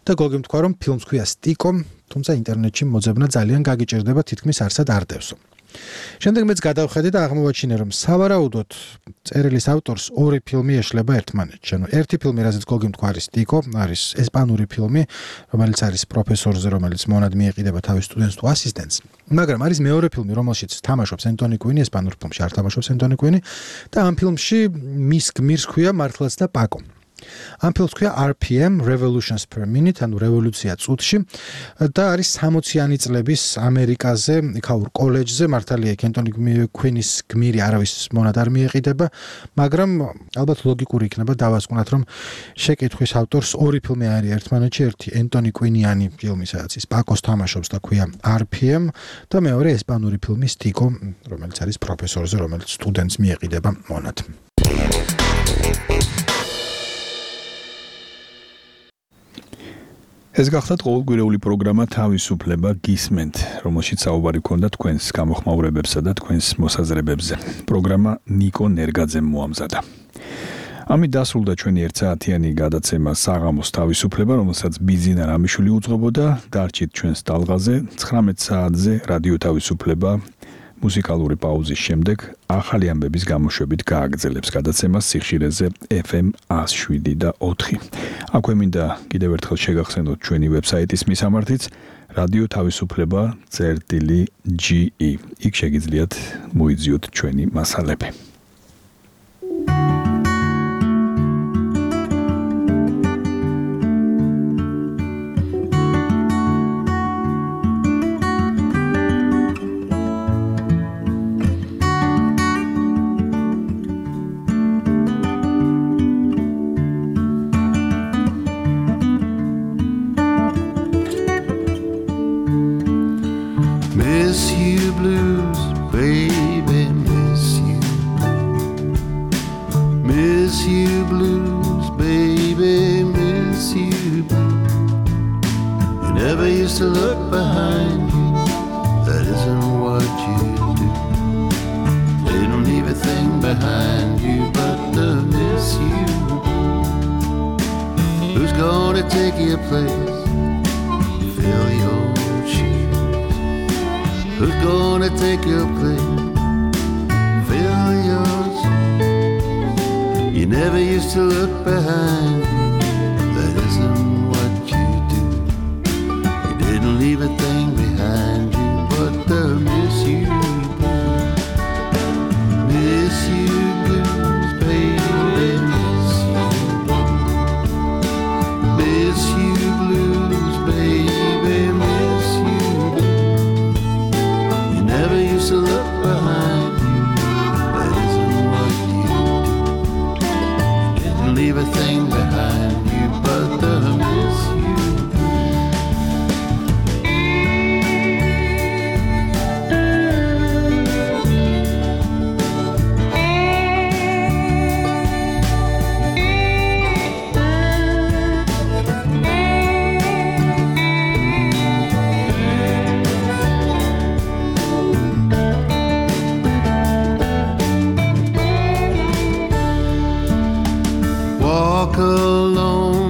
და გოგი თქვა რომ ფილმს ქვია სტიკო თუმცა ინტერნეტში მოძებნა ძალიან გაგიჭირდება თითქმის არსად არდევსო შემდეგ მეც გადავხედე და აღმოვაჩინე რომ სავარაუდოდ წერილის ავტორს ორი ფილმი ეშლება ერთმანეთში. ანუ ერთი ფილმი რაც გოგიმ თქვა არის სტიკო, არის ესპანური ფილმი, რომელიც არის პროფესორზე, რომელიც მონად მიეყიდება თავის სტუდენტს თუ ასისტენტს. მაგრამ არის მეორე ფილმი, რომელშიც თამაშობს ენტონი კუინი, ესპანურ ფილმში არ თამაშობს ენტონი კუინი და ამ ფილმში მის გმირს ქვია მართლაც და პაკო. ამ ფილმს ქვია RPM Revolutions per Minute, ანუ რევოლუცია წუთში და არის 60-იანი წლების ამერიკაზე, იქაურ კოლეჯზე, მართალია ენტონი კუინის გმირი არავის მონად არ მიეყიდება, მაგრამ ალბათ ლოგიკური იქნება დავასკვნათ, რომ შეკითხვის ავტორს ორი ფილმი არის ერთმანეთში, ერთი ენტონი კუინიანი ფილმი, სადაც ის პაკოს თამაშობს და ქვია RPM და მეორე ესპანური ფილმი სტიკო, რომელიც არის პროფესორზე, რომელიც სტუდენტს მიეყიდება მონად. ეს გახდათ ყოველკვირეული პროგრამა თავისუფლება გისმენთ, რომელშიც საუბარი ქონდა თქვენს გამოხმაურებებსა და თქვენს მოსაზრებებზე. პროგრამა ნიკო ნერგაძემ მოამზადა. ამით დასრულდა ჩვენი 1 საათიანი გადაცემა საღამოს თავისუფლება, რომელსაც ბიზინა რამიშვილი უძღვებოდა. დარჩით ჩვენს ტალღაზე 19 საათზე რადიო თავისუფლება მუსიკალური პაუზის შემდეგ ახალი ამბების გამოშვებით გააგრძელებს გადაცემას სიხშირეზე FM 107 და 4. აქვე მინდა კიდევ ერთხელ შეგახსენოთ ჩვენი ვებსაიტის მისამართიც რადიო თავისუფლება.ge. იქ შეგიძლიათ მოიძიოთ ჩვენი მასალები. Behind you, but the miss you. alone.